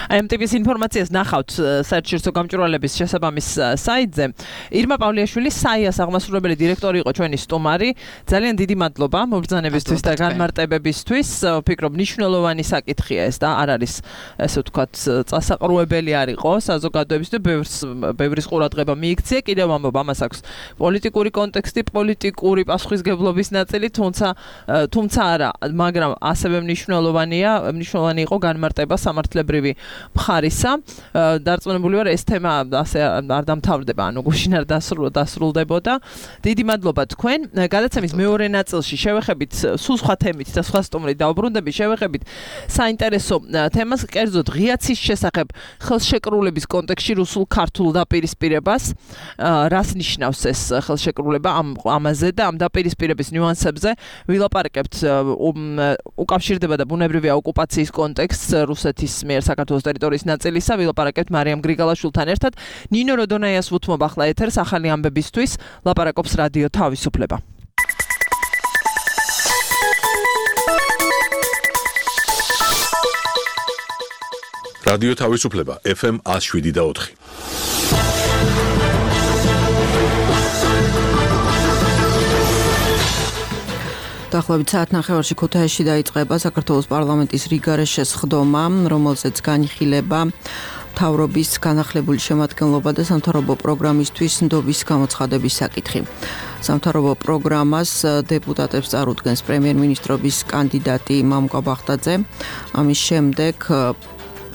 აი ამ ტიპის ინფორმაციას ნახავთ საერთაშორისო გამჭვირვალების შესაბამის საიტზე. ირმა პავლიაშვილი საიას აღმასრულებელი დირექტორი იყო ჩვენი სტუმარი. ძალიან დიდი მადლობა მობრძანებისთვის და განმარტებებისთვის. ვფიქრობ მნიშვნელოვანი საკითხია ეს და არ არის ესე ვთქვათ წასაყრუებელი არ იყო საზოგადოების და ბევრის ყურადღება მიიქცია. კიდევ ამბობ ამას აქვს პოლიტიკური კონტექსტი, პოლიტიკური პასუხისგებლობის ნაწილი, თუმცა არა, მაგრამ ასევე მნიშვნელოვანი იყო განმარტება სამართლებრივი მხარისა. დარწმუნებული ვარ ეს თემა ასე არ დამთავრდება, ანუ გუშინ არ დასრულდებოდა. დიდი მადლობა თქვენ. გადაცემის მეორე ნაწილში შევეხებით სულ სხვა თემით და სხვა სტუმრით დაუბრუნდებით, შევეხებით საინტერესო თემას, კერძოდ ღიაცის შესახებ ხელშეკრულების კონტექსტში რუსულ-ქართულ დაპირისპირებას. რას ნიშნავს ეს ხელშეკრულება ამაზე და ამ დაპირისპირების ნიუანსებზე ვილაპარაკებთ. უკავშირდება და ბუნებრივია ოკუპაციის კონტექსტს რუსეთის მიერ საქართველოს ტერიტორიის ნაწილისა. ვილაპარაკებთ მარიამ გრიგალაშვილთან ერთად. ნინო როდონაიას ვუთმობ ახლა ეთერს ახალი ამბებისთვის. ლაპარაკობს რადიო თავისუფლება. რადიო თავისუფლება FM 107.4. დაახლოებით საათნახევარში ქუთაისში დაიწყება საქართველოს პარლამენტის რიგარეშეს სხდომა, რომელზეც განიხილება მთავრობის განახლებული შემადგენლობა და სამთავრობო პროგრამისთვის ნდობის გამოცხადების საკითხი. სამთავრობო პროგრამას დეპუტატებს წარუდგენს პრემიერ-მინისტრობის კანდიდატი მამუკა ბახტაძე. ამის შემდეგ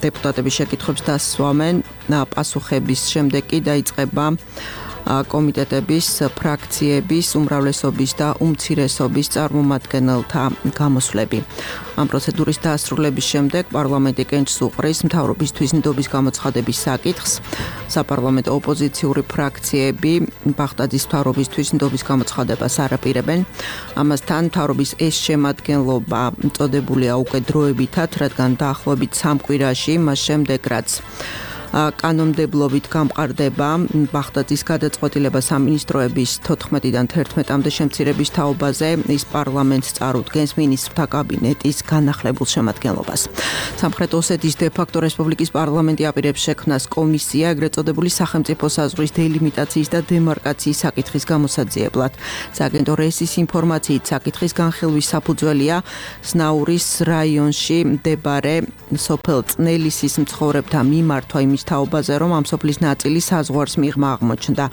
დეპუტატების შეკითხვებს დასვამენ, პასუხების შემდეგ კი დაიწყება კომიტეტების, ფრაქციების, უმრავლესობის და უმცირესობის წარმომადგენელთა გამოსვლები. ამ პროცედურის დასრულების შემდეგ პარლამენტი კენჭს უყრის მთავრობისთვის ნდობის გამოცხადების საკითხს. საპარლამენტო ოპოზიციური ფრაქციები ბახტაძის მთავრობისთვის ნდობის გამოცხადებას არ აპირებენ. ამასთან მთავრობის ეს შემადგენლობა წოდებულია უკვე დროებითად, რადგან დაახლოებით 3 კვირაში მას შემდეგ რაც კანონმდებლობით გამყარდება ბახტაძის გადაწყვეტილება სამინისტროების 14-დან 11-მდე შემცირების თაობაზე, ის პარლამენტს წარუდგენს მინისტრთა კაბინეტის განახლებულ შემადგენლობას. სამხრეთ ოსეთის დე-ფაქტო რესპუბლიკის პარლამენტი აპირებს შექმნას კომისია, ეგრეთ წოდებული სახელმწიფო საზღვრის დელიმიტაციის და დემარკაციის საკითხის გამოსაძიებლად. სააგენტო რესის ინფორმაციით საკითხის განხილვის საფუძველია სნაურის რაიონში მდებარე სოფელ წნელისის მცხოვრებთა მიმართვა იმის თაობაზე, რომ ამ სოფლის ნაწილი საზღვარს მიღმა აღმოჩნდა.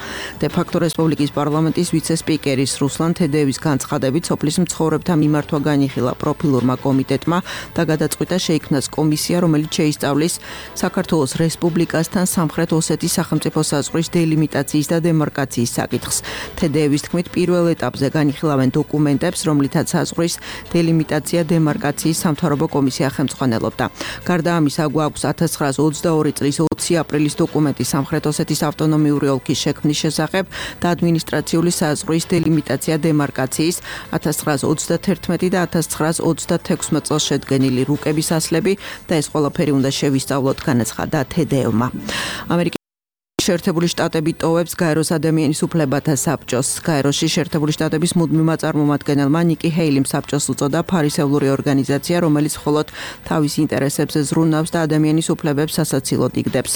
დე-ფაქტო რესპუბლიკის პარლამენტის ვიცე-სპიკერის რუსლან თედეევის განცხადებით, სოფლის მცხოვრებთა მიმართვა განიხილა პროფილურმა კომიტეტმა და გადაწყვიტა შეიქმნას კომისია, რომელიც შეისწავლის საქართველოს რესპუბლიკასთან სამხრეთ ოსეთის სახელმწიფო საზღვრის დელიმიტაციის და დემარკაციის საკითხს. თედეევის თქმით, პირველ ეტაპზე განიხილავენ დოკუმენტებს, რომლითაც საზღვრის დელიმიტაცია დემარკაციის სამთავრობო კომისია ხელმძღვანელობდა. გარდა ამისა, გვაქვს 1922 წლის 20 აპრილის დოკუმენტი სამხრეთ ოსეთის ავტონომიური ოლქის შექმნის შესახებ და ადმინისტრაციული საზღვრის დელიმიტაცია დემარკაციის 1931 და 1936 წელს შედგენილი რუკების ასლები და ეს ყველაფერი უნდა შევისწავლოთ, განაცხადა თედეევმა. შეერთებული შტატები ტოვებს გაეროს ადამიანის უფლებათა საბჭოს. გაეროში შეერთებული შტატების მუდმივმა წარმომადგენელმა ნიკი ჰეილიმ საბჭოს უწოდა ფარისევლური ორგანიზაცია, რომელიც მხოლოდ თავის ინტერესებზე ზრუნავს და ადამიანის უფლებებს სასაცილოდ იგდებს.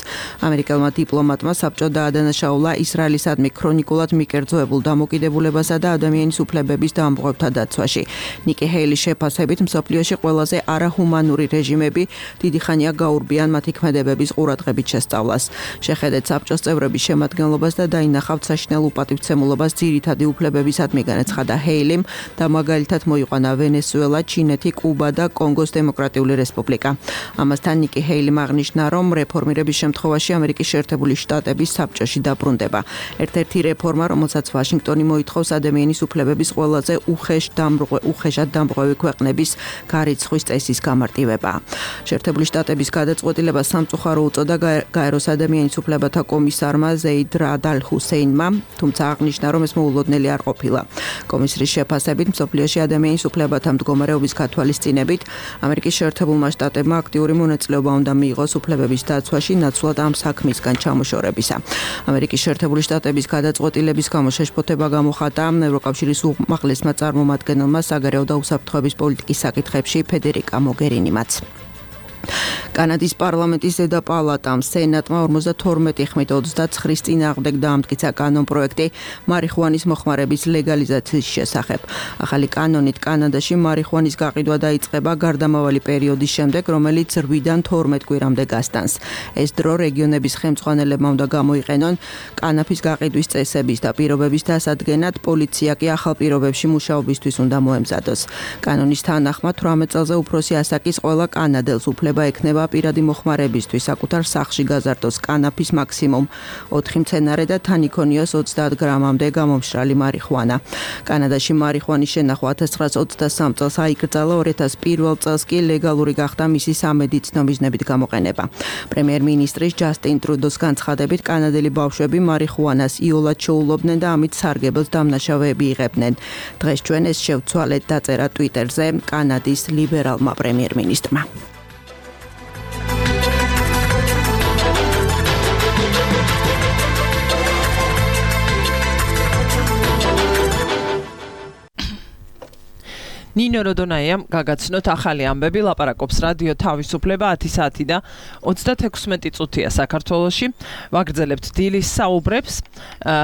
ამერიკელმა დიპლომატმა საბჭო დაადანაშაულა ისრაელისადმი ქრონიკულად მიკერძოებულ დამოკიდებულებასა და ადამიანის უფლებების დამბღვევთა დაცვაში. ნიკი ჰეილის შეფასებით, მსოფლიოში ყველაზე არაჰუმანური რეჟიმები დიდი ხანია გაურბიან მათი ქმედებების ყურადღებით შესწავლას. შეხედეთ საბჭოს საბჭოს წევრების შემადგენლობას და დაინახავთ საშინელ უპატივცემულობას ძირითადი უფლებებისადმი, განაცხადა ჰეილიმ და მაგალითად მოიყვანა ვენესუელა, ჩინეთი, კუბა და კონგოს დემოკრატიული რესპუბლიკა. ამასთან ნიკი ჰეილიმ აღნიშნა, რომ რეფორმირების შემთხვევაში ამერიკის შეერთებული შტატების საბჭოში დაბრუნდება. ერთ-ერთი რეფორმა, რომელსაც ვაშინგტონი მოითხოვს ადამიანის უფლებების ყველაზე უხეშად დამრღვევი ქვეყნების გარიცხვის წესის გამარტივება. შეერთებული შტატების გადაწყვეტილება სამწუხარო უწოდა გაეროს ადამიანის უფლებათა კომისარმა ზეიდ რად ალ ჰუსეინმა, თუმცა აღნიშნა, რომ ეს მოულოდნელი არ ყოფილა. კომისრის შეფასებით, მსოფლიოში ადამიანის უფლებათა მდგომარეობის გათვალისწინებით, ამერიკის შეერთებულმა შტატებმა აქტიური მონაწილეობა უნდა მიიღოს უფლებების დაცვაში, ნაცვლად ამ საქმისგან ჩამოშორებისა. ამერიკის შეერთებული შტატების გადაწყვეტილების გამო შეშფოთება გამოხატა ევროკავშირის უმაღლესმა წარმომადგენელმა საგარეო და უსაფრთხოების პოლიტიკის საკითხებში ფედერიკა მოგერინიმაც. კანადის პარლამენტის ზედა პალატამ სენატმა 52 ხმით 29-ის წინააღმდეგ დაამტკიცა კანონპროექტი მარიხუანის მოხმარების ლეგალიზაციის შესახებ. ახალი კანონით კანადაში მარიხუანის გაყიდვა დაიწყება გარდამავალი პერიოდის შემდეგ, რომელიც 8-დან 12 კვირამდე გასტანს. ეს დრო რეგიონების ხელმძღვანელებმა უნდა გამოიყენონ კანაფის გაყიდვის წესების და პირობების დასადგენად, პოლიცია კი ახალ პირობებში მუშაობისთვის უნდა მოემზადოს. კანონის თანახმად 18 წელზე უფროსი ასაკის ყველა კანადელს უფლება ექნება პირადი მოხმარებისთვის საკუთარ სახლში გაზარდოს კანაფის მაქსიმუმ 4 მცენარე და თან იქონიოს 30 გრამამდე გამომშრალი მარიხუანა. კანადაში მარიხუანის შენახვა 1923 წელს აიკრძალა, 2001 წელს კი ლეგალური გახდა მისი სამედიცინო მიზნებით გამოყენება. პრემიერ-მინისტრის ჯასტინ ტრუდოს განცხადებით, კანადელი ბავშვები მარიხუანას იოლად შეულობდნენ და ამით სარგებელს დამნაშავეები იღებდნენ. დღეს ჩვენ ეს შევცვალეთ, დაწერა ტვიტერზე კანადის ლიბერალმა პრემიერ-მინისტრმა. ნინო როდონაიამ გაგაცნოთ ახალი ამბები, ლაპარაკობს რადიო თავისუფლება 10 საათი და 36 წუთია საქართველოში. ვაგრძელებთ დილის საუბრებს.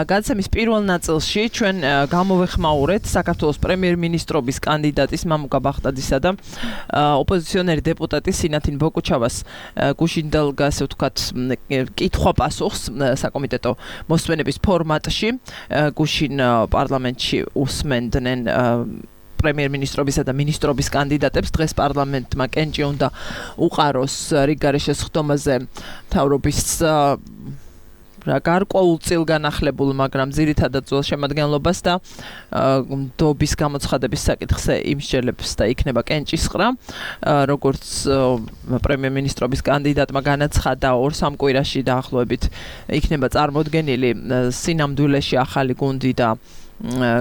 გადაცემის პირველ ნაწილში ჩვენ გამოვეხმაურეთ საქართველოს პრემიერ-მინისტრობის კანდიდატის მამუკა ბახტაძისა და ოპოზიციონერი დეპუტატის სინათინ ბოკუჩავას გუშინდელგა, ასე ვთქვათ, კითხვა-პასუხს საკომიტეტო მოსმენების ფორმატში. გუშინ პარლამენტში უსმენდნენ პრემიერ-მინისტრობისა და მინისტრობის კანდიდატებს. დღეს პარლამენტმა კენჭი უნდა უყაროს რიგგარეშე სხდომაზე მთავრობის გარკვეულ განახლებულ, მაგრამ ძირითადად ძველ შემადგენლობას და დობის გამოცხადების საკითხზე იმსჯელებს და იქნება კენჭის ყრა. როგორც პრემიერ-მინისტრობის კანდიდატმა განაცხადა, 2-3 კვირაში დაახლოებით იქნება წარმოდგენილი სინამდვილეში ახალი გუნდი და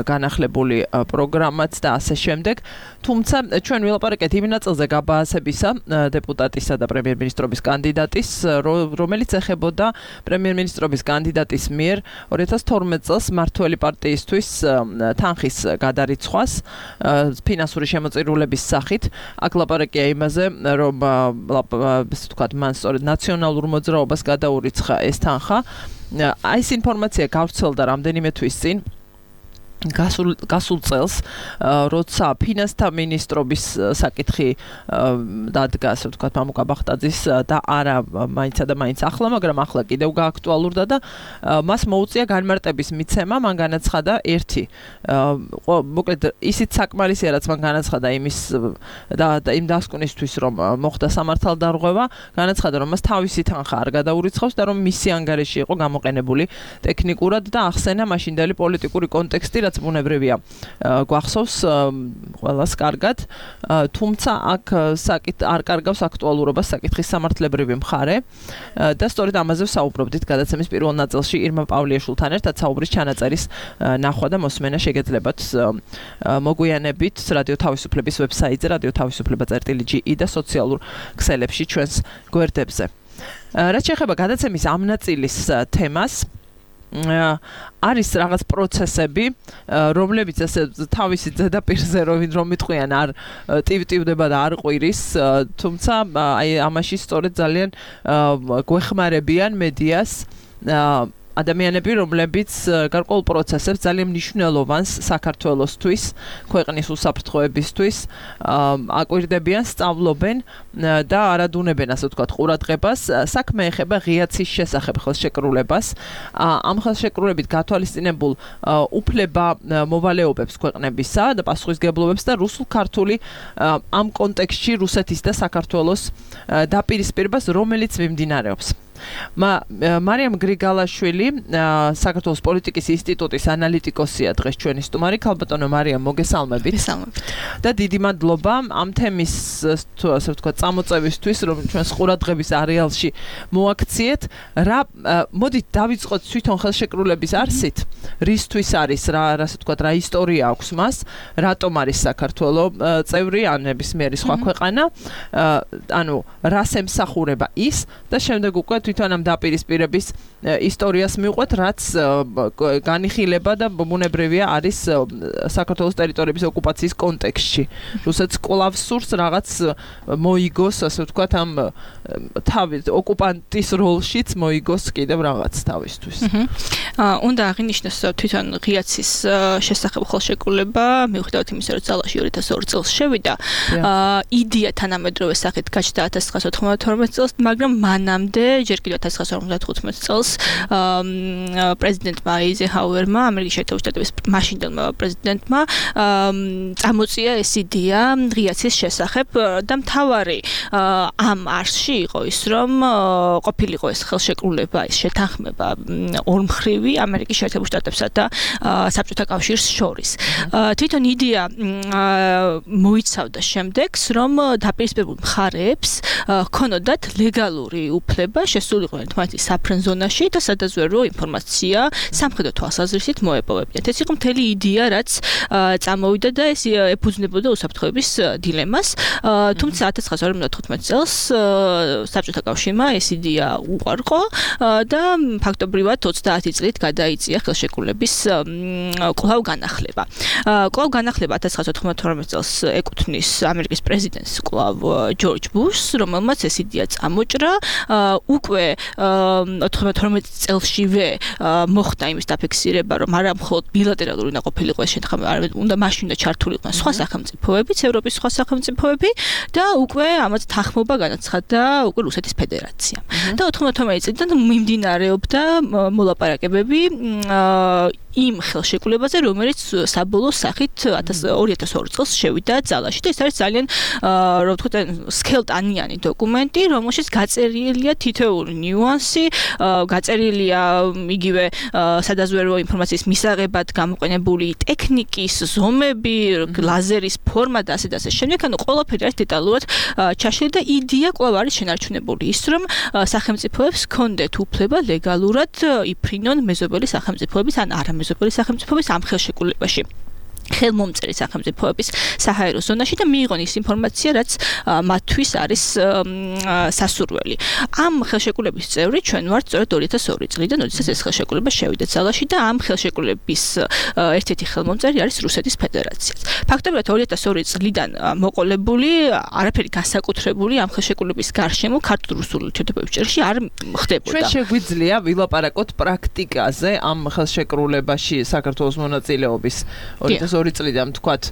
განახლებული პროგრამაც და ასე შემდეგ. თუმცა ჩვენ ვილაპარაკეთ იმ ნაწილზე გაბაასებისა დეპუტატისა და პრემიერ-მინისტრობის კანდიდატის, რომელიც ეხებოდა პრემიერ-მინისტრობის კანდიდატის მიერ 2012 წელს მართველი პარტიისთვის თანხის გადარიცხვას ფინანსური შემოწირულების სახით. აქ ლაპარაკია იმაზე, რომ ასე ვთქვათ, მან სწორედ ნაციონალურ მოძრაობას გადაურიცხა ეს თანხა. აი ეს ინფორმაცია გავრცელდა რამდენიმე თვის წინ. გასულ წელს, როცა ფინანსთა მინისტრობის საკითხი დადგა, ასე ვთქვათ, მამუკა ბახტაძის და არა მაინცა და მაინც ახლა, მაგრამ ახლა კიდევ გააქტუალურდა და მას მოუწია განმარტების მიცემა. მან განაცხადა ერთი, მოკლედ ისიც საკმარისია, რაც მან განაცხადა იმის და იმ დასკვნისთვის, რომ მოხდა სამართალდარღვევა, განაცხადა, რომ მას თავისი თანხა არ გადაურიცხავს და რომ მისი ანგარიში იყო გამოყენებული ტექნიკურად და ახსენა მაშინდელი პოლიტიკური კონტექსტი, რაც ბუნებრივია გვახსოვს ყველას კარგად, თუმცა აქ არ კარგავს აქტუალურობას საკითხის სამართლებრივი მხარე და სწორედ ამაზე ვსაუბრობდით გადაცემის პირველ ნაწილში ირმა პავლიაშვილთან ერთად. საუბრის ჩანაწერის ნახვა და მოსმენა შეგეძლებათ მოგვიანებით რადიო თავისუფლების ვებსაიტზე radioთავისუფლება.ge და სოციალურ ქსელებში ჩვენს გვერდებზე. რაც შეეხება გადაცემის ამ ნაწილის თემას, არის რაღაც პროცესები, რომლებიც ასე თავისი ზედაპირზე რომ იტყვიან არ ტივტივდება და არ ყვირის, თუმცა აი ამაში სწორედ ძალიან გვეხმარებიან მედიას. ადამიანები, რომლებიც გარკვეულ პროცესებს ძალიან მნიშვნელოვანს საქართველოსთვის, ქვეყნის უსაფრთხოებისთვის აკვირდებიან, სწავლობენ და არადუნებენ, ასე ვთქვათ, ყურადღებას. საქმე ეხება ღიაცის შესახებ ხელშეკრულებას. ამ ხელშეკრულებით გათვალისწინებულ უფლება მოვალეობებს ქვეყნებისა და პასუხისგებლობებს და რუსულ-ქართული ამ კონტექსტში რუსეთის და საქართველოს დაპირისპირებას, რომელიც მიმდინარეობს. მარიამ გრიგალაშვილი, საქართველოს პოლიტიკის ინსტიტუტის ანალიტიკოსია დღეს ჩვენი სტუმარი. ქალბატონო მარიამ, მოგესალმებით. და დიდი მადლობა ამ თემის, ასე ვთქვათ, წამოწევისთვის, რომ ჩვენს ყურადღების არეალში მოაქციეთ. მოდით დავიწყოთ თვითონ ხელშეკრულების არსით. რისთვის არის, ასე ვთქვათ, რა ისტორია აქვს მას, რატომ არის საქართველო წევრი ან ნებისმიერი სხვა ქვეყანა, ანუ რას ემსახურება ის და შემდეგ უკვე თვითონ ამ დაპირისპირების ისტორიას მივყვეთ, რაც განიხილება და ბუნებრივია არის საქართველოს ტერიტორიების ოკუპაციის კონტექსტში. რუსეთს კვლავ სურს რაღაც მოიგოს, ასე ვთქვათ, ამ თავის ოკუპანტის როლშიც მოიგოს კიდევ რაღაც თავისთვის. უნდა აღინიშნოს თვითონ ღიაცის შესახებ ხელშეკრულება, მიუხედავად იმისა, რომ ძალაში 2002 წელს შევიდა, იდეა თანამედროვე სახით გაჩნდა 1992 წელს, მაგრამ მანამდე ჯერ კიდევ 1955 წელს პრეზიდენტმა აიზენჰაუერმა, ამერიკის შეერთებული შტატების მაშინდელმა პრეზიდენტმა წამოწია ეს იდეა ღიაცის შესახებ და მთავარი ამ არსში იყო ის, რომ ყოფილიყო ეს ხელშეკრულება, ეს შეთანხმება ორმხრივი ამერიკის შეერთებულ შტატებსა და საბჭოთა კავშირს შორის. თვითონ იდეა მოიცავდა შემდეგს, რომ დაპირისპირებულ მხარეებს ჰქონოდათ ლეგალური უფლება შესულიყვნენ თმათის საფრენზონაში და სადაზვერვო ინფორმაცია სამხედრო თვალსაზრისით მოეპოვებინათ. ეს იყო მთელი იდეა, რაც წამოვიდა და ეს ეფუძნებოდა უსაფრთხოების დილემას. თუმცა 1955 წელს საბჭოთა კავშირმა ეს იდეა უარყო და ფაქტობრივად 30 წლით გადაიწია ხელშეკრულების კვლავ განახლება. კვლავ განახლება 1992 წელს ეკუთვნის ამერიკის პრეზიდენტს კვლავ ჯორჯ ბუშს, რომელმაც ეს იდეა წამოჭრა. უკვე 92 წელსშივე მოხდა იმის დაფიქსირება, რომ არა მხოლოდ ბილატერალური უნდა ყოფილიყო ეს შეთანხმება, არამედ უნდა მაშინ უნდა ჩართულიყვნენ სხვა სახელმწიფოებიც, ევროპის სხვა სახელმწიფოები და უკვე ამას თანხმობა განაცხადა უკვე რუსეთის ფედერაცია. და 92 წლიდან მიმდინარეობდა მოლაპარაკებები იმ ხელშეკრულებაზე, რომელიც საბოლოო სახით 2002 წელს შევიდა ძალაში და ეს არის ძალიან რა ვთქვათ, სქელტანიანი დოკუმენტი, რომელშიც გაწერილია თითოეული ნიუანსი, გაწერილია იგივე სადაზვერვო ინფორმაციის მისაღებად გამოყენებული ტექნიკის ზომები, ლაზერის ფორმა და ასე და ასე შემდეგ, ანუ ყველაფერი არის დეტალურად ჩაშლილი და იდეა კვლავ არის შენარჩუნებული ის, რომ სახელმწიფოებს ჰქონდეთ უფლება ლეგალურად იფრინონ მეზობელი სახელმწიფოების ან არამეზობელი სახელმწიფოების ამ ხელშეკრულებაში. ხელმომწერი სახელმწიფოების საჰაერო ზონაში და მიიღონ ის ინფორმაცია, რაც მათთვის არის სასურველი. ამ ხელშეკრულების წევრი ჩვენ ვართ სწორედ 2002 წლიდან, როდესაც ეს ხელშეკრულება შევიდა ძალაში და ამ ხელშეკრულების ერთ-ერთი ხელმომწერი არის რუსეთის ფედერაციაც. ფაქტობრივად 2002 წლიდან მოყოლებული არაფერი განსაკუთრებული ამ ხელშეკრულების გარშემო ქართულ-რუსულ ურთიერთობებში არ ხდებოდა. ჩვენ შეგვიძლია ვილაპარაკოთ პრაქტიკაზე ამ ხელშეკრულებაში საქართველოს მონაწილეობის 2002 წლიდან თქვათ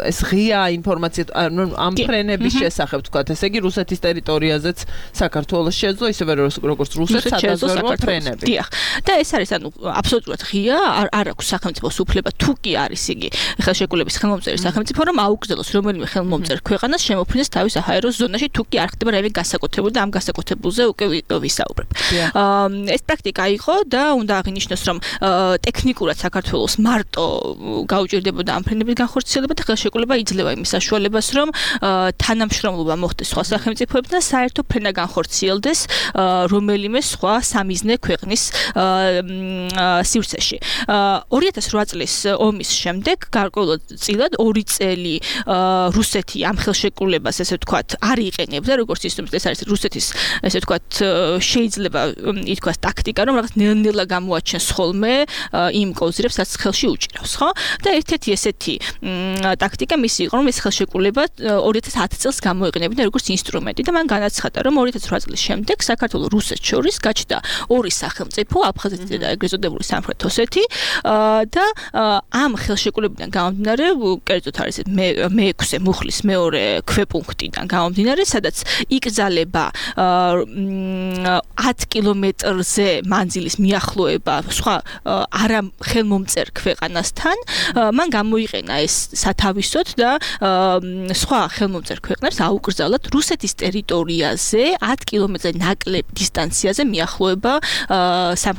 ეს ღია ინფორმაცია ამ ფრენების შესახებ თქვათ, ესე იგი რუსეთის ტერიტორიაზეც საქართველოს შეძლო ისევე როგორც რუსეთს სადაზვერვო ფრენები. დიახ. და ეს არის ანუ აბსოლუტურად ღია, არ აქვს სახელმწიფოს უფლება თუ კი არის იგი ხელშეკრულების ხელმომწერი სახელმწიფო, რომ აუგზელოს რომელიმე ხელმომწერ ქვეყანას შემოფრინდეს თავის საჰაერო ზონაში, თუ კი არ ხდება რაიმე განსაკუთრებული და ამ განსაკუთრებულზე უკვე ვისაუბრებ. ეს პრაქტიკა იყო და უნდა აღინიშნოს, რომ ტექნიკურად საქართველოს მარტო გაუჭირდებოდა ამ ფრენების განხორციელება და ხელშეკრულება იძლევა იმის საშუალებას, რომ თანამშრომლობა მოხდეს სხვა სახელმწიფოებთან და საერთო ფრენა განხორციელდეს რომელიმე სხვა სამიზნე ქვეყნის სივრცეში. 2008 წლის ომის შემდეგ გარკვეულად წილად 2 წელი რუსეთი ამ ხელშეკრულებას ესე ვთქვათ არ იყენებდა, როგორც ისე ეს არის რუსეთის ესე ვთქვათ შეიძლება ითქვას ტაქტიკა, რომ რაღაც ნელ-ნელა გამოაჩენს ხოლმე იმ კოზირებს, რაც ხელში უჭირავს, ხო? და ერთ-ერთი ესეთი ტაქტიკა მისი იყო, რომ ეს ხელშეკრულება 2010 წელს გამოიყენებინა როგორც ინსტრუმენტი და მან განაცხადა, რომ 2008 წლის შემდეგ საქართველოს რუსეთს შორის გაჩნდა ორი სახელმწიფო, აფხაზეთი და ეგრეთ წოდებული სამხრეთ ოსეთი და ამ ხელშეკრულებიდან გამომდინარე, კერძოდ არის მე-6 მუხლის მეორე ქვეპუნქტიდან გამომდინარე, სადაც იკრძალება 10 კილომეტრზე მანძილის მიახლოება სხვა არა ხელმომწერ ქვეყანასთან, მან გამოიყენა ეს სათავისოდ და სხვა ხელმომწერ ქვეყნებს აუკრძალათ რუსეთის ტერიტორიაზე 10 კილომეტრზე ნაკლებ დისტანციაზე მიახლოება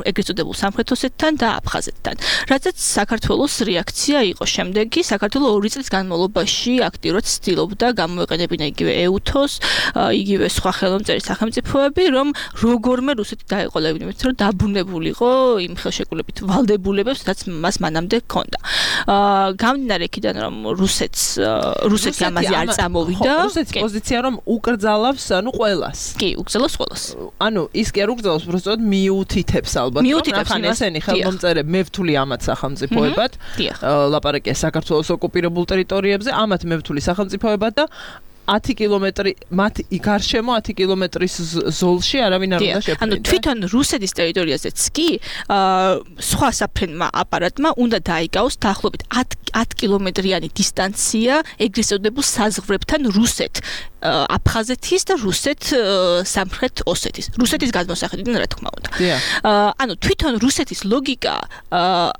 ეგრეთ წოდებულ სამხრეთ ოსეთთან და აფხაზეთთან. რადგან საქართველოს რეაქცია იყო შემდეგი, საქართველოს 2 წლის განმავლობაში აქტიურად ცდილობდა გამოეყენებინა იგივე EUTOS, იგივე სხვა ხელმომწერი სახელმწიფოები, რომ როგორმე რუსეთი დაეყოლებინა, რომ დაბუნებულიყო იმ ხელშეკრულებით ვალდებულებებს, რაც მას მანამდე ჰქონდა. გამდინარე იქიდან, რომ რუსეთი ამაზე არ წამოვიდა. რუსეთის პოზიცია რომ უკრძალავს, ყველას. კი, უკრძალავს ყველას. ის კი არ უკრძალავს, უბრალოდ მიუთითებს ალბათ. მიუთითებს ესენი ხელმომწერები მევთული ამათ სახელმწიფოებად. ლაპარაკია საქართველოს ოკუპირებულ ტერიტორიებზე, ამათ მევთული სახელმწიფოებად და 10 კილომეტრი მათ გარშემო 10 კილომეტრის ზოლში არავინ არ უნდა შეფრინდა. ანუ თვითონ რუსეთის ტერიტორიაზეც კი სხვა საფრენმა აპარატმა უნდა დაიგავს დაახლოებით 10 კილომეტრიანი დისტანცია ეგრეთ წოდებულ საზღვრებთან რუსეთ აფხაზეთის და რუსეთ სამხრეთ ოსეთის. რუსეთის გადმოსახედიდან რა თქმა უნდა. ანუ თვითონ რუსეთის ლოგიკა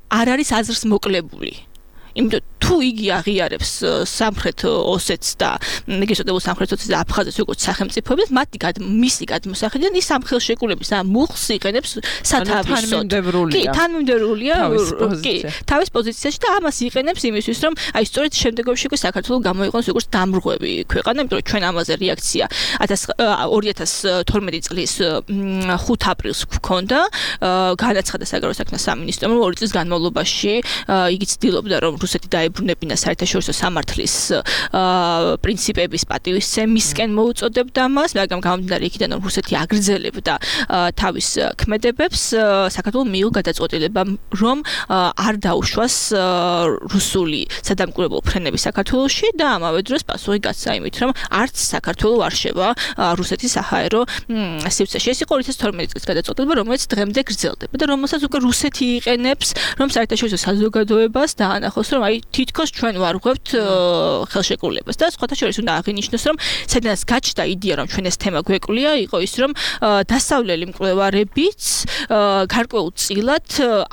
არ არის აზრს მოკლებული. იმიტომ თუ იგი აღიარებს სამხრეთ ოსეთს და ეგრეთ წოდებულ სამხრეთ ოსეთს და აფხაზეთს როგორც სახელმწიფოებს, მისი გადმოსახედიდან ის ამ ხელშეკრულების ამ მუხლს იყენებს სათავისოდ. კი, თანმიმდევრულია, კი, თავის პოზიციაში და ამას იყენებს იმისთვის, რომ აი სწორედ შემდეგში უკვე საქართველოს გამოიყენოს როგორც დამრღვევი ქვეყანა, იმიტომ რომ ჩვენ ამაზე რეაქცია 2012 წლის 5 აპრილს გვქონდა, განაცხადა საგარეო საქმეთა სამინისტრომ, რომ 2 წლის განმავლობაში იგი ცდილობდა, რომ რუსეთი დაებრუნებინა საერთაშორისო სამართლის პრინციპების პატივისცემისკენ მოუწოდებდა მას, მაგრამ გამომდინარე იქიდან, რომ რუსეთი აგრძელებდა თავის ქმედებებს, საქართველოს მიიღო გადაწყვეტილება, რომ არ დაუშვას რუსული სადამკვირვებლო ფრენები საქართველოში და ამავე დროს პასუხი გასცა იმით, რომ არც საქართველოს არ შევა რუსეთის საჰაერო სივრცეში. ეს იყო 2012 წლის გადაწყვეტილება, რომელიც დღემდე გრძელდება და რომელსაც უკვე რუსეთი იყენებს, რომ საერთაშორისო საზოგადოებას დაანახოს, რომ აი თითქოს ჩვენ ვარღვევთ ხელშეკრულებას და სხვათა შორის უნდა აღინიშნოს, რომ სადაც გაჩნდა იდეა, რომ ჩვენ ეს თემა გვეკლია, იყო ის, რომ დასავლელი მკვლევარებიც გარკვეულწილად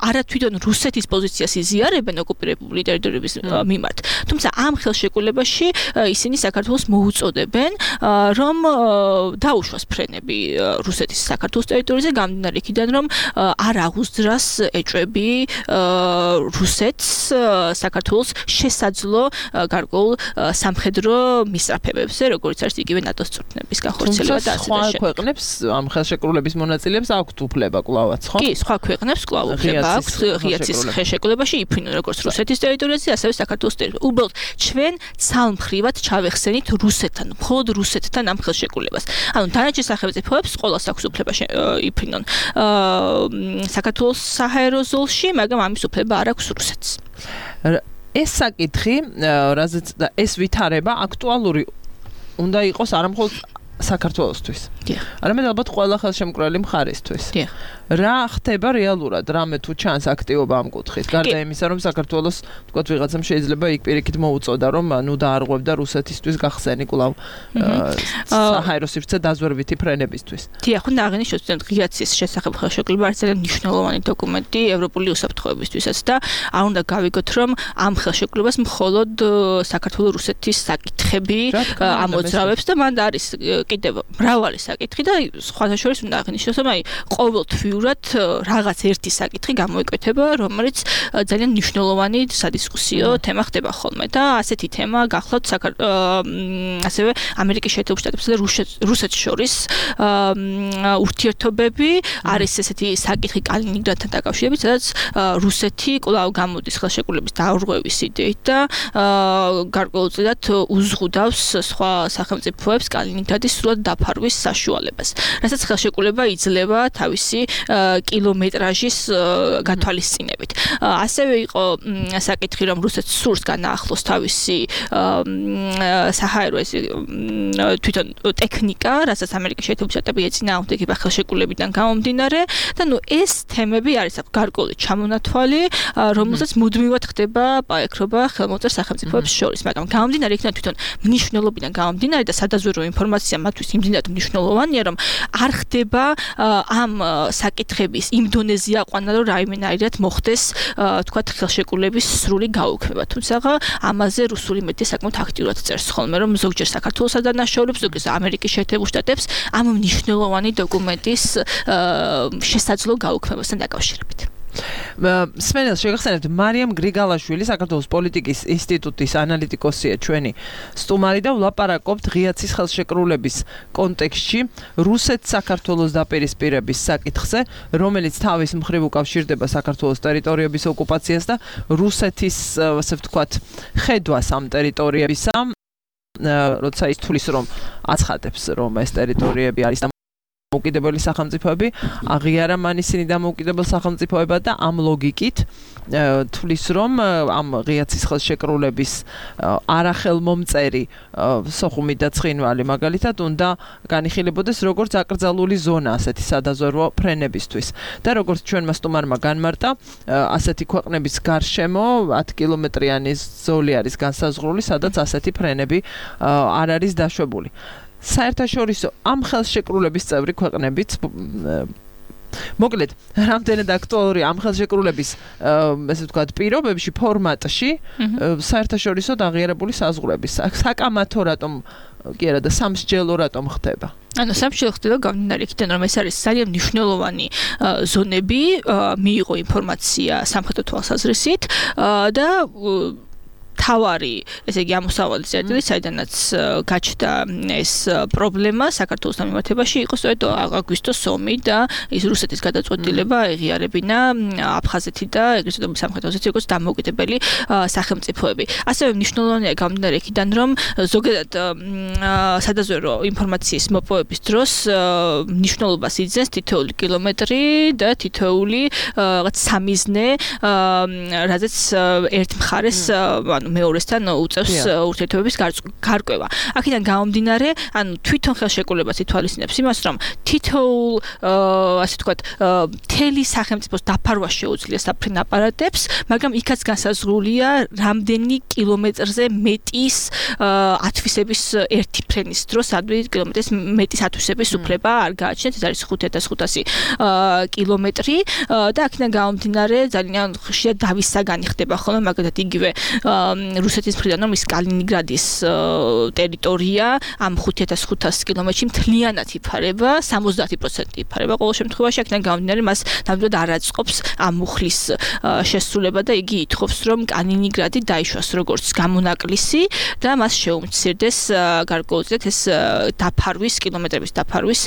არა თვითონ რუსეთის პოზიციას იზიარებენ ოკუპირებული ტერიტორიების მიმართ, თუმცა ამ ხელშეკრულებაში ისინი საქართველოს მოუწოდებენ, რომ დაუშვას ფრენები რუსეთის საქართველოს ტერიტორიაზე, გამდინარე იქიდან, რომ არ აღუძრას ეჭვები რუსეთს საქართველოს შესაძლო გარკვეულ სამხედრო მისწრაფებებზე, როგორც არის იგივე ნატოს წვრთნების განხორციელება და ასე და სხვა ქვეყნებს ამ ხელშეკრულების მონაწილეებს აქვთ უფლება კვლავაც, ხო? კი, სხვა ქვეყნებს კვლავ უფლება აქვთ ღიაცის ხელშეკრულებაში იფრინონ როგორც რუსეთის ტერიტორიაზე, ასევე საქართველოს ტერიტორიაზე. უბრალოდ ჩვენ ცალმხრივად ჩავეხსენით რუსეთთან, მხოლოდ რუსეთთან ამ ხელშეკრულებას. ანუ დანარჩენ სახელმწიფოებს ყოველს აქვს უფლება იფრინონ საქართველოს საჰაერო ზოლში, მაგრამ ამის უფლება არ აქვს რუსეთს. ეს საკითხი, რაზეც ეს ვითარება აქტუალური უნდა იყოს არა მხოლოდ საქართველოსთვის. არამედ ალბათ ყველა ხელშემკრალი მხარისთვის. რა ხდება რეალურად, რამე თუ ჩანს აქტივობა ამ კუთხით? გარდა იმისა, რომ საქართველოს თქვათ ვიღაცამ შეიძლება იქ პირიქით მოუწოდა, რომ ნუ დაარღვევდა რუსეთისთვის გახსენი კვლავ საჰაერო სივრცე დაზვერვითი ფრენებისთვის. დიახ, უნდა აღინიშნოს, რომ ღიაცის შესახებ ხელშეკრულება არის ძალიან მნიშვნელოვანი დოკუმენტი ევროპული უსაფრთხოებისთვისაც და არ უნდა გავიგოთ, რომ ამ ხელშეკრულებას მხოლოდ საქართველოს რუსეთის საკითხები ამოძრავებს და მანდ არის კიდევ მრავალი საკითხი და სხვათა შორის უნდა აღინიშნოს, რომ აი ყოველთვიურად რაღაც ერთი საკითხი გამოიკვეთება, რომელიც ძალიან მნიშვნელოვანი სადისკუსიო თემა ხდება ხოლმე და ასეთი თემა გახლავთ ასევე ამერიკის შეერთებულ შტატებსა და რუსეთს შორის ურთიერთობები, არის ესეთი საკითხი კალინინგრადთან დაკავშირებით, სადაც რუსეთი კვლავ გამოდის ხელშეკრულების დაურღვევის იდეით და გარკვეულწილად უზღუდავს სხვა სახელმწიფოებს კალინინგრადის სრულად დაფარვის საშუალებას. რასაც ხელშეკრულება იძლევა თავისი კილომეტრაჟის გათვალისწინებით. ასევე იყო საკითხი, რომ რუსეთს სურს განაახლოს თავისი საჰაერო თვითონ ტექნიკა, რასაც ამერიკის შეერთებული შტატები ეწინააღმდეგება ხელშეკრულებიდან გამომდინარე და ეს თემები არის გარკვეული ჩამონათვალი, რომელსაც მუდმივად ხდება პაექრობა ხელმოწერს სახელმწიფოებს შორის, მაგრამ გამომდინარე იქიდან თვითონ მნიშვნელობიდან გამომდინარე და სადაზვერვო ინფორმაცია მათთვის იმდენად მნიშვნელოვანია, რომ არ ხდება ამ საკითხების იმ დონეზე აყვანა, რომ რაიმენაირად მოხდეს თქვათ ხელშეკრულების სრული გაუქმება. თუმცა ამაზე რუსული მედია საკმაოდ აქტიურად წერს ხოლმე, რომ ზოგჯერ საქართველოს ადანაშაულებს, ზოგჯერ ამერიკის შეერთებულ შტატებს ამ მნიშვნელოვანი დოკუმენტის შესაძლო გაუქმებასთან დაკავშირებით. სმენელს შეგახსენებთ მარიამ გრიგალაშვილი საქართველოს პოლიტიკის ინსტიტუტის ანალიტიკოსია ჩვენი სტუმარი და ვლაპარაკობთ ღიაცის ხელშეკრულების კონტექსტში რუსეთ-საქართველოს დაპირისპირების საკითხზე, რომელიც თავის მხრივ უკავშირდება საქართველოს ტერიტორიების ოკუპაციას და რუსეთის, ასე ვთქვათ, ხედვას ამ ტერიტორიებისა, როცა ის თulis რომ აცხადებს, რომ ეს ტერიტორიები არის დამოუკიდებელი სახელმწიფოები, აღიარა მან ისინი დამოუკიდებელ სახელმწიფოებად და ამ ლოგიკით თulis რომ ამ ღიაცის ხელშეკრულების არახელმომწერი სოხუმი და ცხინვალი მაგალითად უნდა განიხილებოდეს როგორც აკრძალული ზონა ასეთი სადაზვერვო ფრენებისთვის და როგორც ჩვენმა სტუმარმა განმარტა, ასეთი ქვეყნების გარშემო 10 კილომეტრიანი ზოლი არის განსაზღვრული, სადაც ასეთი ფრენები არ არის დაშვებული. საერთაშორისო ამ ხელშეკრულების წევრი ქვეყნებიც მოკლედ რამდენად აქტუალური ამ ხელშეკრულების ესე ვთქვათ პირობებში ფორმატში საერთაშორისო აღიარებული საზღვრების საკამათო რატომ კი არა და სამსჯელო რატომ ხდება? ანუ სამსჯელო ხდება გამდინარე იქიდან, რომ ეს არის ძალიან მნიშვნელოვანი ზონები, მიიღო ინფორმაცია სამხედრო თვალსაზრისით და თავარი, ესე იგი ამოსავალი წერტილი, საიდანაც გაჩნდა ეს პრობლემა საქართველოს დამემართებაში, იყო სწორედ აგვისტოს ომი და ის რუსეთის გადაწყვეტილება ეღიარებინა აფხაზეთი და ეგრეთ წოდებული სამხრეთ ოსეთი როგორც დამოუკიდებელი სახელმწიფოები. ასევე მნიშვნელოვანია გამდინარე იქიდან, რომ ზოგადად სადაზვერვო ინფორმაციის მოპოვების დროს მნიშვნელობას იძენს თითოეული კილომეტრი და თითოეული რაღაც სამიზნე, რაზეც ერთ მხარეს მეორესთან უწევს ურთიერთობების გარკვევა. აქედან გამომდინარე, ანუ თვითონ ხელშეკრულებას ითვალისწინებს იმას, რომ თითოეულ, ასე ვთქვათ, მთელი სახელმწიფოს დაფარვა შეუძლია საფრენ აპარატებს, მაგრამ იქაც განსაზღვრულია რამდენი კილომეტრზე მეტის ათვისების ერთი ფრენის დროს, რამდენი კილომეტრის მეტის ათვისების უფლება არ გააჩნიათ, ეს არის 5500 კილომეტრი და აქედან გამომდინარე ძალიან ხშირად დავისაგანი ხდება ხოლმე, მაგალითად იგივე რუსეთის მხრიდან რომ ის კალინინგრადის ტერიტორია ამ 5500 კილომეტრში მთლიანად იფარება, 70% იფარება ყოველ შემთხვევაში, აქედან გამომდინარე მას ნამდვილად არ აწყობს ამ მუხლის შესრულება და იგი ითხოვს რომ კალინინგრადი დაიშვას როგორც გამონაკლისი და მას შეუმცირდეს გარკვეულწილად ეს დაფარვის კილომეტრების დაფარვის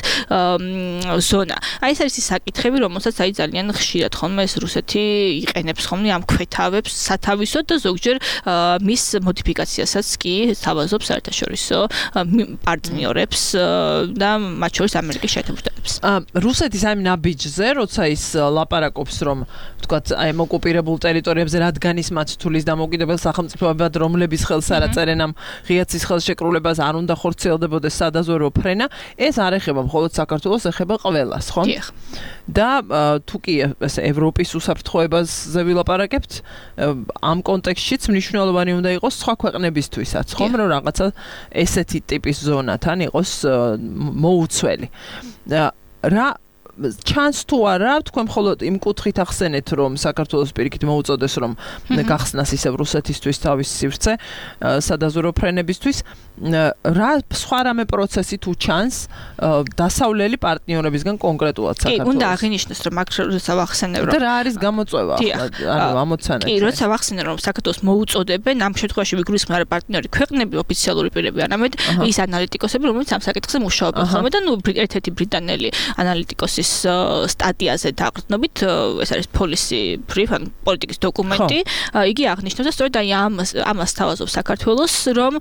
ზონა. აი ეს არის ის საკითხები, რომელსაც აი ძალიან ხშირად ხოლმე ეს რუსეთი იყენებს ხოლმე ამ ქვეთავებს სათავისოდ და ზოგჯერ მის მოდიფიკაციასაც კი თავაზობს საერთაშორისო პარტნიორებს და მათ შორის ამერიკის შეერთებულ შტატებს. რუსეთის აი ნაბიჯზე, როცა ის ლაპარაკობს, რომ ვთქვათ, აი ოკუპირებულ ტერიტორიებზე რადგან ის მათ თulis დამოუკიდებელ სახელმწიფოებად, რომლების ხელს არ აწერენ ამ ღიაცის ხელშეკრულებას, არ უნდა ხორციელდებოდეს სადაზვერვო ფრენა, ეს არ ეხება მხოლოდ საქართველოს, ეხება ყველას, ხო? და თუ კი ეს ევროპის უსაფრთხოებაზე ვილაპარაკებთ, ამ კონტექსტშიც მნიშვნელოვანი უნდა იყოს სხვა ქვეყნებისთვისაც, ხომ, რომ რაღაცა ესეთი ტიპის ზონათან იყოს მოუცველი. რა ჩანს თუ არა, თქვენ მხოლოდ იმ კუთხით ახსენეთ, რომ საქართველოს პირიქით მოუწოდეს, რომ გახსნას ისევ რუსეთისთვის თავის სივრცე სადაზვერვო ფრენებისთვის, რა სხვა რამე პროცესი თუ ჩანს დასავლელი პარტნიორებისგან კონკრეტულად საქართველოს. კი, უნდა აღინიშნოს, რომ აქ როცა ვახსენებ, რომ და რა არის გამოწვევა ახლა, ანუ ამოცანეთ. კი, როცა ვახსენებ, რომ საქართველოს მოუწოდებენ, ამ შემთხვევაში ვიგულისხმევ არა პარტნიორი ქვეყნები, ოფიციალური პირები, არამედ ის ანალიტიკოსები, რომლებიც ამ საკითხზე მუშაობენ ხოლმე და ერთ-ერთი ბრიტანელი ანალიტიკოსის საქმეების სტატიაზე დაყრდნობით, ეს არის policy brief, ან პოლიტიკის დოკუმენტი, იგი აღნიშნავს და სწორედ აი ამას თავაზობს საქართველოს, რომ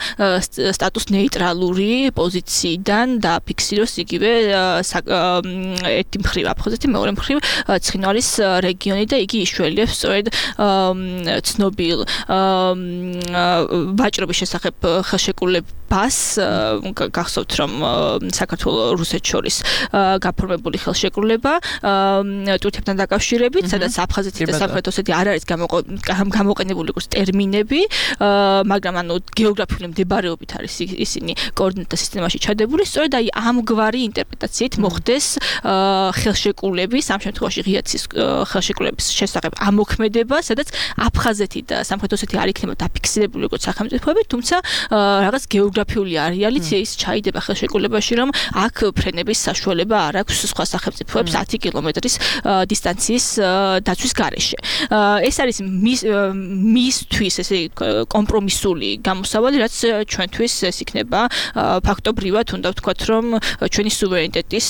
სტატუს ნეიტრალური პოზიციიდან დააფიქსიროს იგივე ერთი მხრივ აფხაზეთი, მეორე მხრივ ცხინვალის რეგიონი და იგი იშველიებს სწორედ ცნობილ ვაჭრობის შესახებ ხელშეკრულებას, გახსოვთ რომ საქართველოს რუსეთს შორის გაფორმებული ხელშეკრულება ტურქეთთან დაკავშირებით, სადაც აფხაზეთი და სამხრეთ ოსეთი არ არის გამოყენებული როგორც ტერმინები, მაგრამ ანუ გეოგრაფიული მდებარეობით არის ისინი კოორდინატთა სისტემაში ჩადებული, სწორედ აი ამგვარი ინტერპრეტაციით მოხდეს ხელშეკრულების, ამ შემთხვევაში ღიაცის ხელშეკრულების შესახებ ამოქმედება, სადაც აფხაზეთი და სამხრეთ ოსეთი არ იქნება დაფიქსირებული როგორც სახელმწიფოები, თუმცა რაღაც გეოგრაფიული არეალით ის ჩაიდება ხელშეკრულებაში, რომ აქ ფრენების საშუალება არ აქვს სხვა სახელმწიფოებს 10 კილომეტრის დისტანციის დაცვის გარეშე. ეს არის მისთვის ესე კომპრომისული გამოსავალი, რაც ჩვენთვის ეს იქნება ფაქტობრივად უნდა ვთქვათ, რომ ჩვენი სუვერენიტეტის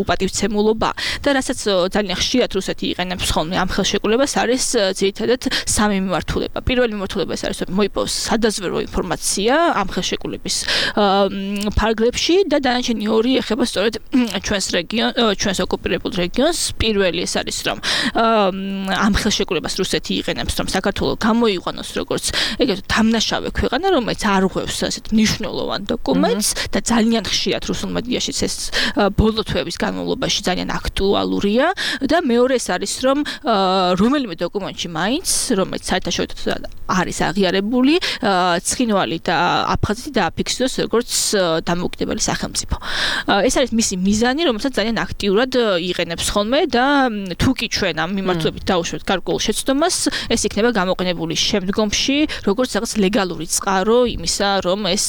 უპატივცემულობა და რასაც ძალიან ხშირად რუსეთი იყენებს ხოლმე ამ ხელშეკრულებას არის ძირითადად სამი მიმართულება. პირველი მიმართულება ეს არის, რომ მოიპოვოს სადაზვერვო ინფორმაცია ამ ხელშეკრულების ფარგლებში და დანარჩენი ორი ეხება სწორედ ჩვენს ოკუპირებულ რეგიონს. პირველი ეს არის, რომ ამ ხელშეკრულებას რუსეთი იყენებს, რომ საქართველოს გამოიყვანოს როგორც ეგრეთ დამნაშავე ქვეყანა, რომელიც არ ღვევს ასეთ მნიშვნელოვან დოკუმენტს და ძალიან ხშირად რუსულ მედიაშიც ეს ბოლო თვეების განმავლობაში ძალიან აქტუალურია და მეორე ეს არის, რომ რომელიმე დოკუმენტში მაინც, რომელიც საერთაშორისო არის აღიარებული, ცხინვალი და აფხაზეთი დააფიქსიროს როგორც დამოუკიდებელი სახელმწიფო. ეს არის მისი მიზანი, რომელსაც ძალიან აქტიურად იყენებს ხოლმე და თუ კი ჩვენ ამ მიმართულებით დაუშვებთ გარკვეულ შეცდომას, ეს იქნება გამოყენებული შემდგომში, როგორც რაღაც ლეგალური წყარო იმისა, რომ ეს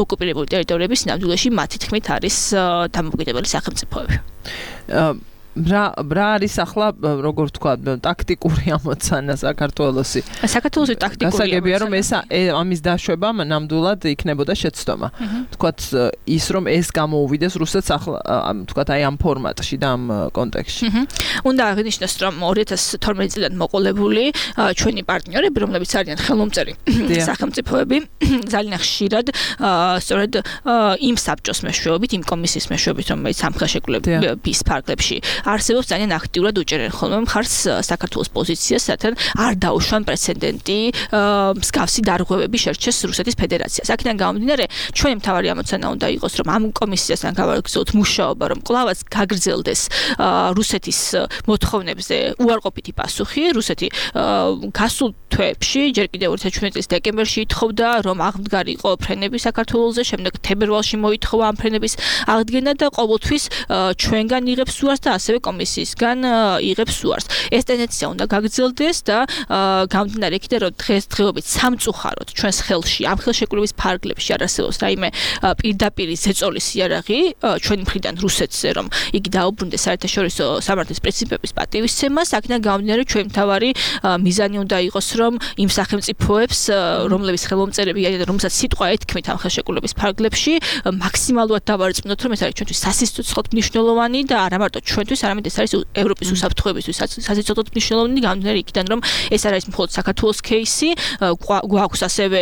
ოკუპირებული ტერიტორიების ნამდვილში მათი თქმით არის დამოუკიდებელი სახელმწიფოები. რა არის ახლა როგორ თქვა ტაქტიკური ამოცანა საქართველოსი? საქართველოსი ტაქტიკური გასაგებია რომ ეს ამის დაშვება ნამდვილად იქნებოდა შეცდომა. თქვათ ის რომ ეს გამოუვიდეს რუსეთს ახლა თქვათ აი ამ ფორმატში და ამ კონტექსტში. უნდა აღნიშნოს რომ 2012 წლიდან მოყოლებული ჩვენი პარტნიორები, რომლებიც არიან ხელმომწერი სახელმწიფოები, ძალიან ხშირად სწორედ იმ საბჭოს მეშვეობით, იმ კომისიის მეშვეობით, რომელიც ამ ხელშეკრულების ფარგლებში არსებობს ძალიან აქტიურად უჭერენ ხოლმე მხარს საქართველოს პოზიციას, რათა არ დაუშვან პრეცედენტი მსგავსი დარღვევები შერჩეს რუსეთის ფედერაციას. აქედან გამომდინარე, ჩვენი მთავარი ამოცანა უნდა იყოს, რომ ამ კომისიასთან გავაგრძელოთ მუშაობა, რომ კვლავაც გაგრძელდეს რუსეთის მოთხოვნებზე უარყოფითი პასუხი. რუსეთი გასულ თვეებში, ჯერ კიდევ 2017 წლის დეკემბერში ითხოვდა, რომ აღმდგარიყო ფრენები საქართველოზე, შემდეგ თებერვალში მოითხოვა ამ ფრენების აღდგენა და ყოველთვის ჩვენგან იღებს უარს და ასევე კომისიისგან იღებს უარს. ეს ტენდენცია უნდა გაგრძელდეს და გამომდინარე იქიდან, რომ დღესდღეობით სამწუხაროდ ჩვენს ხელში ამ ხელშეკრულების ფარგლებში არ არსებობს რაიმე პირდაპირი ზეწოლის იარაღი ჩვენი მხრიდან რუსეთზე, რომ იგი დაუბრუნდეს საერთაშორისო სამართლის პრინციპების პატივისცემას. აქედან გამომდინარე, ჩვენი მთავარი მიზანი უნდა იყოს, რომ იმ სახელმწიფოებს, რომლებიც ხელმომწერები არიან, რომელსაც სიტყვა ეთქმით ამ ხელშეკრულების ფარგლებში, მაქსიმალურად დავარწმუნოთ, რომ ეს არის ჩვენთვის სასიცოცხლოდ მნიშვნელოვანი და არა მარტო ჩვენთვის, არამედ ეს არის ევროპის უსაფრთხოებისთვის სასიცოცხლოდ მნიშვნელოვანი, გამომდინარე იქიდან, რომ ეს არ არის მხოლოდ საქართველოს кейსი, გვაქვს ასევე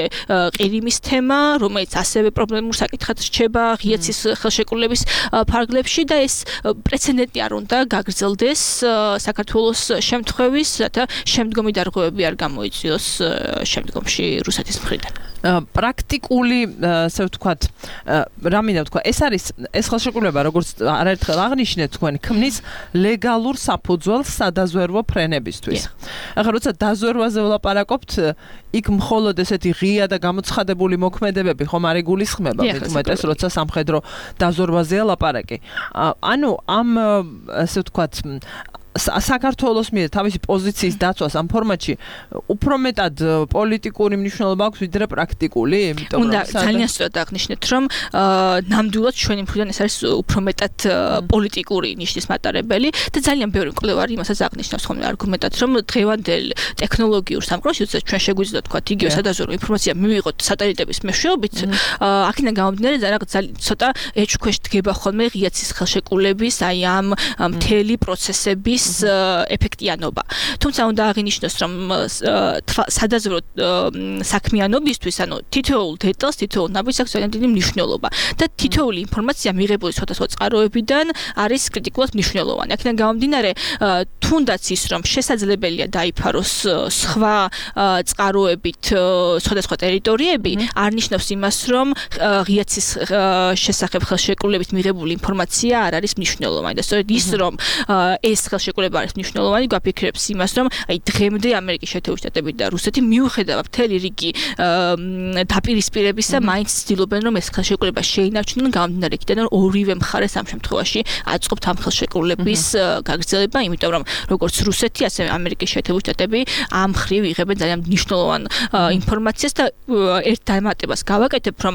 ყირიმის თემა, რომელიც ასევე პრობლემურ საკითხად რჩება ღიაცის ხელშეკრულების ფარგლებში და ეს პრეცედენტი არ უნდა გაგრძელდეს საქართველოს შემთხვევის, რათა შემდგომი დარღვევები არ გამოიწვიოს შემდგომში რუსეთის მხრიდან. პრაქტიკული, ასე ვთქვათ, რა მინდა ვთქვა, ეს ხელშეკრულება, როგორც არაერთხელ აღნიშნეთ თქვენ, ქმნის ლეგალურ საფუძველს სადაზვერვო ფრენებისთვის. ახლა როცა დაზვერვაზე ვლაპარაკობთ, იქ მხოლოდ ესეთი ღია და გამოცხადებული მოქმედებები ხომ არ იგულისხმება, მეტყველებს, როცა სამხედრო დაზვერვაზეა ლაპარაკი. ანუ ამ ასე ვთქვათ საქართველოს მიერ თავისი პოზიციის დაცვას ამ ფორმატში უფრო მეტად პოლიტიკური მნიშვნელობა აქვს ვიდრე პრაქტიკული, იმიტომ რომ ძალიან სწორად აღნიშნეთ, რომ ნამდვილად ჩვენი მხრიდან ეს არის უფრო მეტად პოლიტიკური ნიშნის მატარებელი და ძალიან ბევრი მკვლევარი იმასაც აღნიშნავს ხოლმე არგუმენტად, რომ დღევანდელ ტექნოლოგიურ სამყაროში, როდესაც ჩვენ შეგვიძლია თქვა იგივე სადაზვერვო ინფორმაცია მივიღოთ სატელიტების მეშვეობით, აქედან გამომდინარე ძალიან ცოტა ეჭქვეშ დგება ხოლმე ღია ცის ხელშეკრულების აი ამ მთელი პროცესების ეფექტიანობა. თუმცა უნდა აღინიშნოს, რომ სადაზვერვო საქმიანობისთვის, ანუ თითოეულ დეტალს, თითოეულ ნაბიჯს აქვს ძალიან დიდი მნიშვნელობა და თითოეული ინფორმაცია მიღებული სხვადასხვა წყაროებიდან არის კრიტიკულად მნიშვნელოვანი. აქედან გამომდინარე, თუნდაც ის, რომ შესაძლებელია დაიფაროს სხვა წყაროებით სხვადასხვა ტერიტორიები, არ ნიშნავს იმას, რომ ღია ცის შესახებ ხელშეკრულებით მიღებული ინფორმაცია არ არის მნიშვნელოვანი და სწორედ ის, რომ ეს ხელშეკრულება არის მნიშვნელოვანი, გვაფიქრებს იმას, რომ აი დღემდე ამერიკის შეერთებული შტატები და რუსეთი მიუხედავად მთელი რიგი დაპირისპირებისა მაინც ცდილობენ, რომ ეს ხელშეკრულება შეინარჩუნონ, გამომდინარე იქიდან, რომ ორივე მხარეს ამ შემთხვევაში აწყობთ ამ ხელშეკრულების გაგრძელება, იმიტომ რომ როგორც რუსეთი, ასევე ამერიკის შეერთებული შტატები ამ მხრივ იღებენ ძალიან მნიშვნელოვან ინფორმაციას და ერთ დამატებას გავაკეთებ, რომ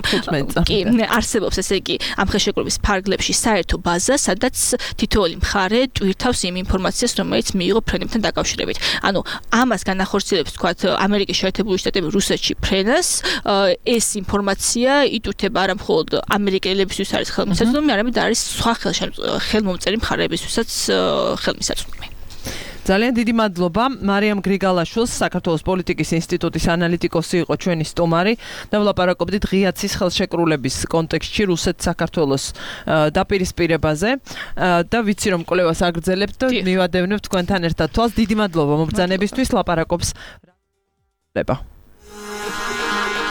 კი არსებობს ესე იგი ამ ხელშეკრულების ფარგლებში საერთო ბაზა, სადაც თითოეული მხარე ტვირთავს იმ ინფორმაციას, რომელიც მიიღო ფრენებთან დაკავშირებით. ანუ ამას განახორციელებს თქვათ ამერიკის შეერთებული შტატები რუსეთში ფრენას, ეს ინფორმაცია იტვირთება არა მხოლოდ ამერიკელებისთვის არის ხელმისაწვდომი, არამედ არის სხვა ხელმომწერი მხარეებისთვისაც ხელმისაწვდომი. ძალიან დიდი მადლობა მარიამ გრიგალაშვილს, საქართველოს პოლიტიკის ინსტიტუტის ანალიტიკოსი იყო ჩვენი სტუმარი და ვლაპარაკობდით ღია ცის ხელშეკრულების კონტექსტში რუსეთ-საქართველოს დაპირისპირებაზე და ვიცი რომ კვლევას აგრძელებთ და მივადევნებთ თქვენთან ერთად თვალს. დიდი მადლობა მობრძანებისთვის, ლაპარაკობს.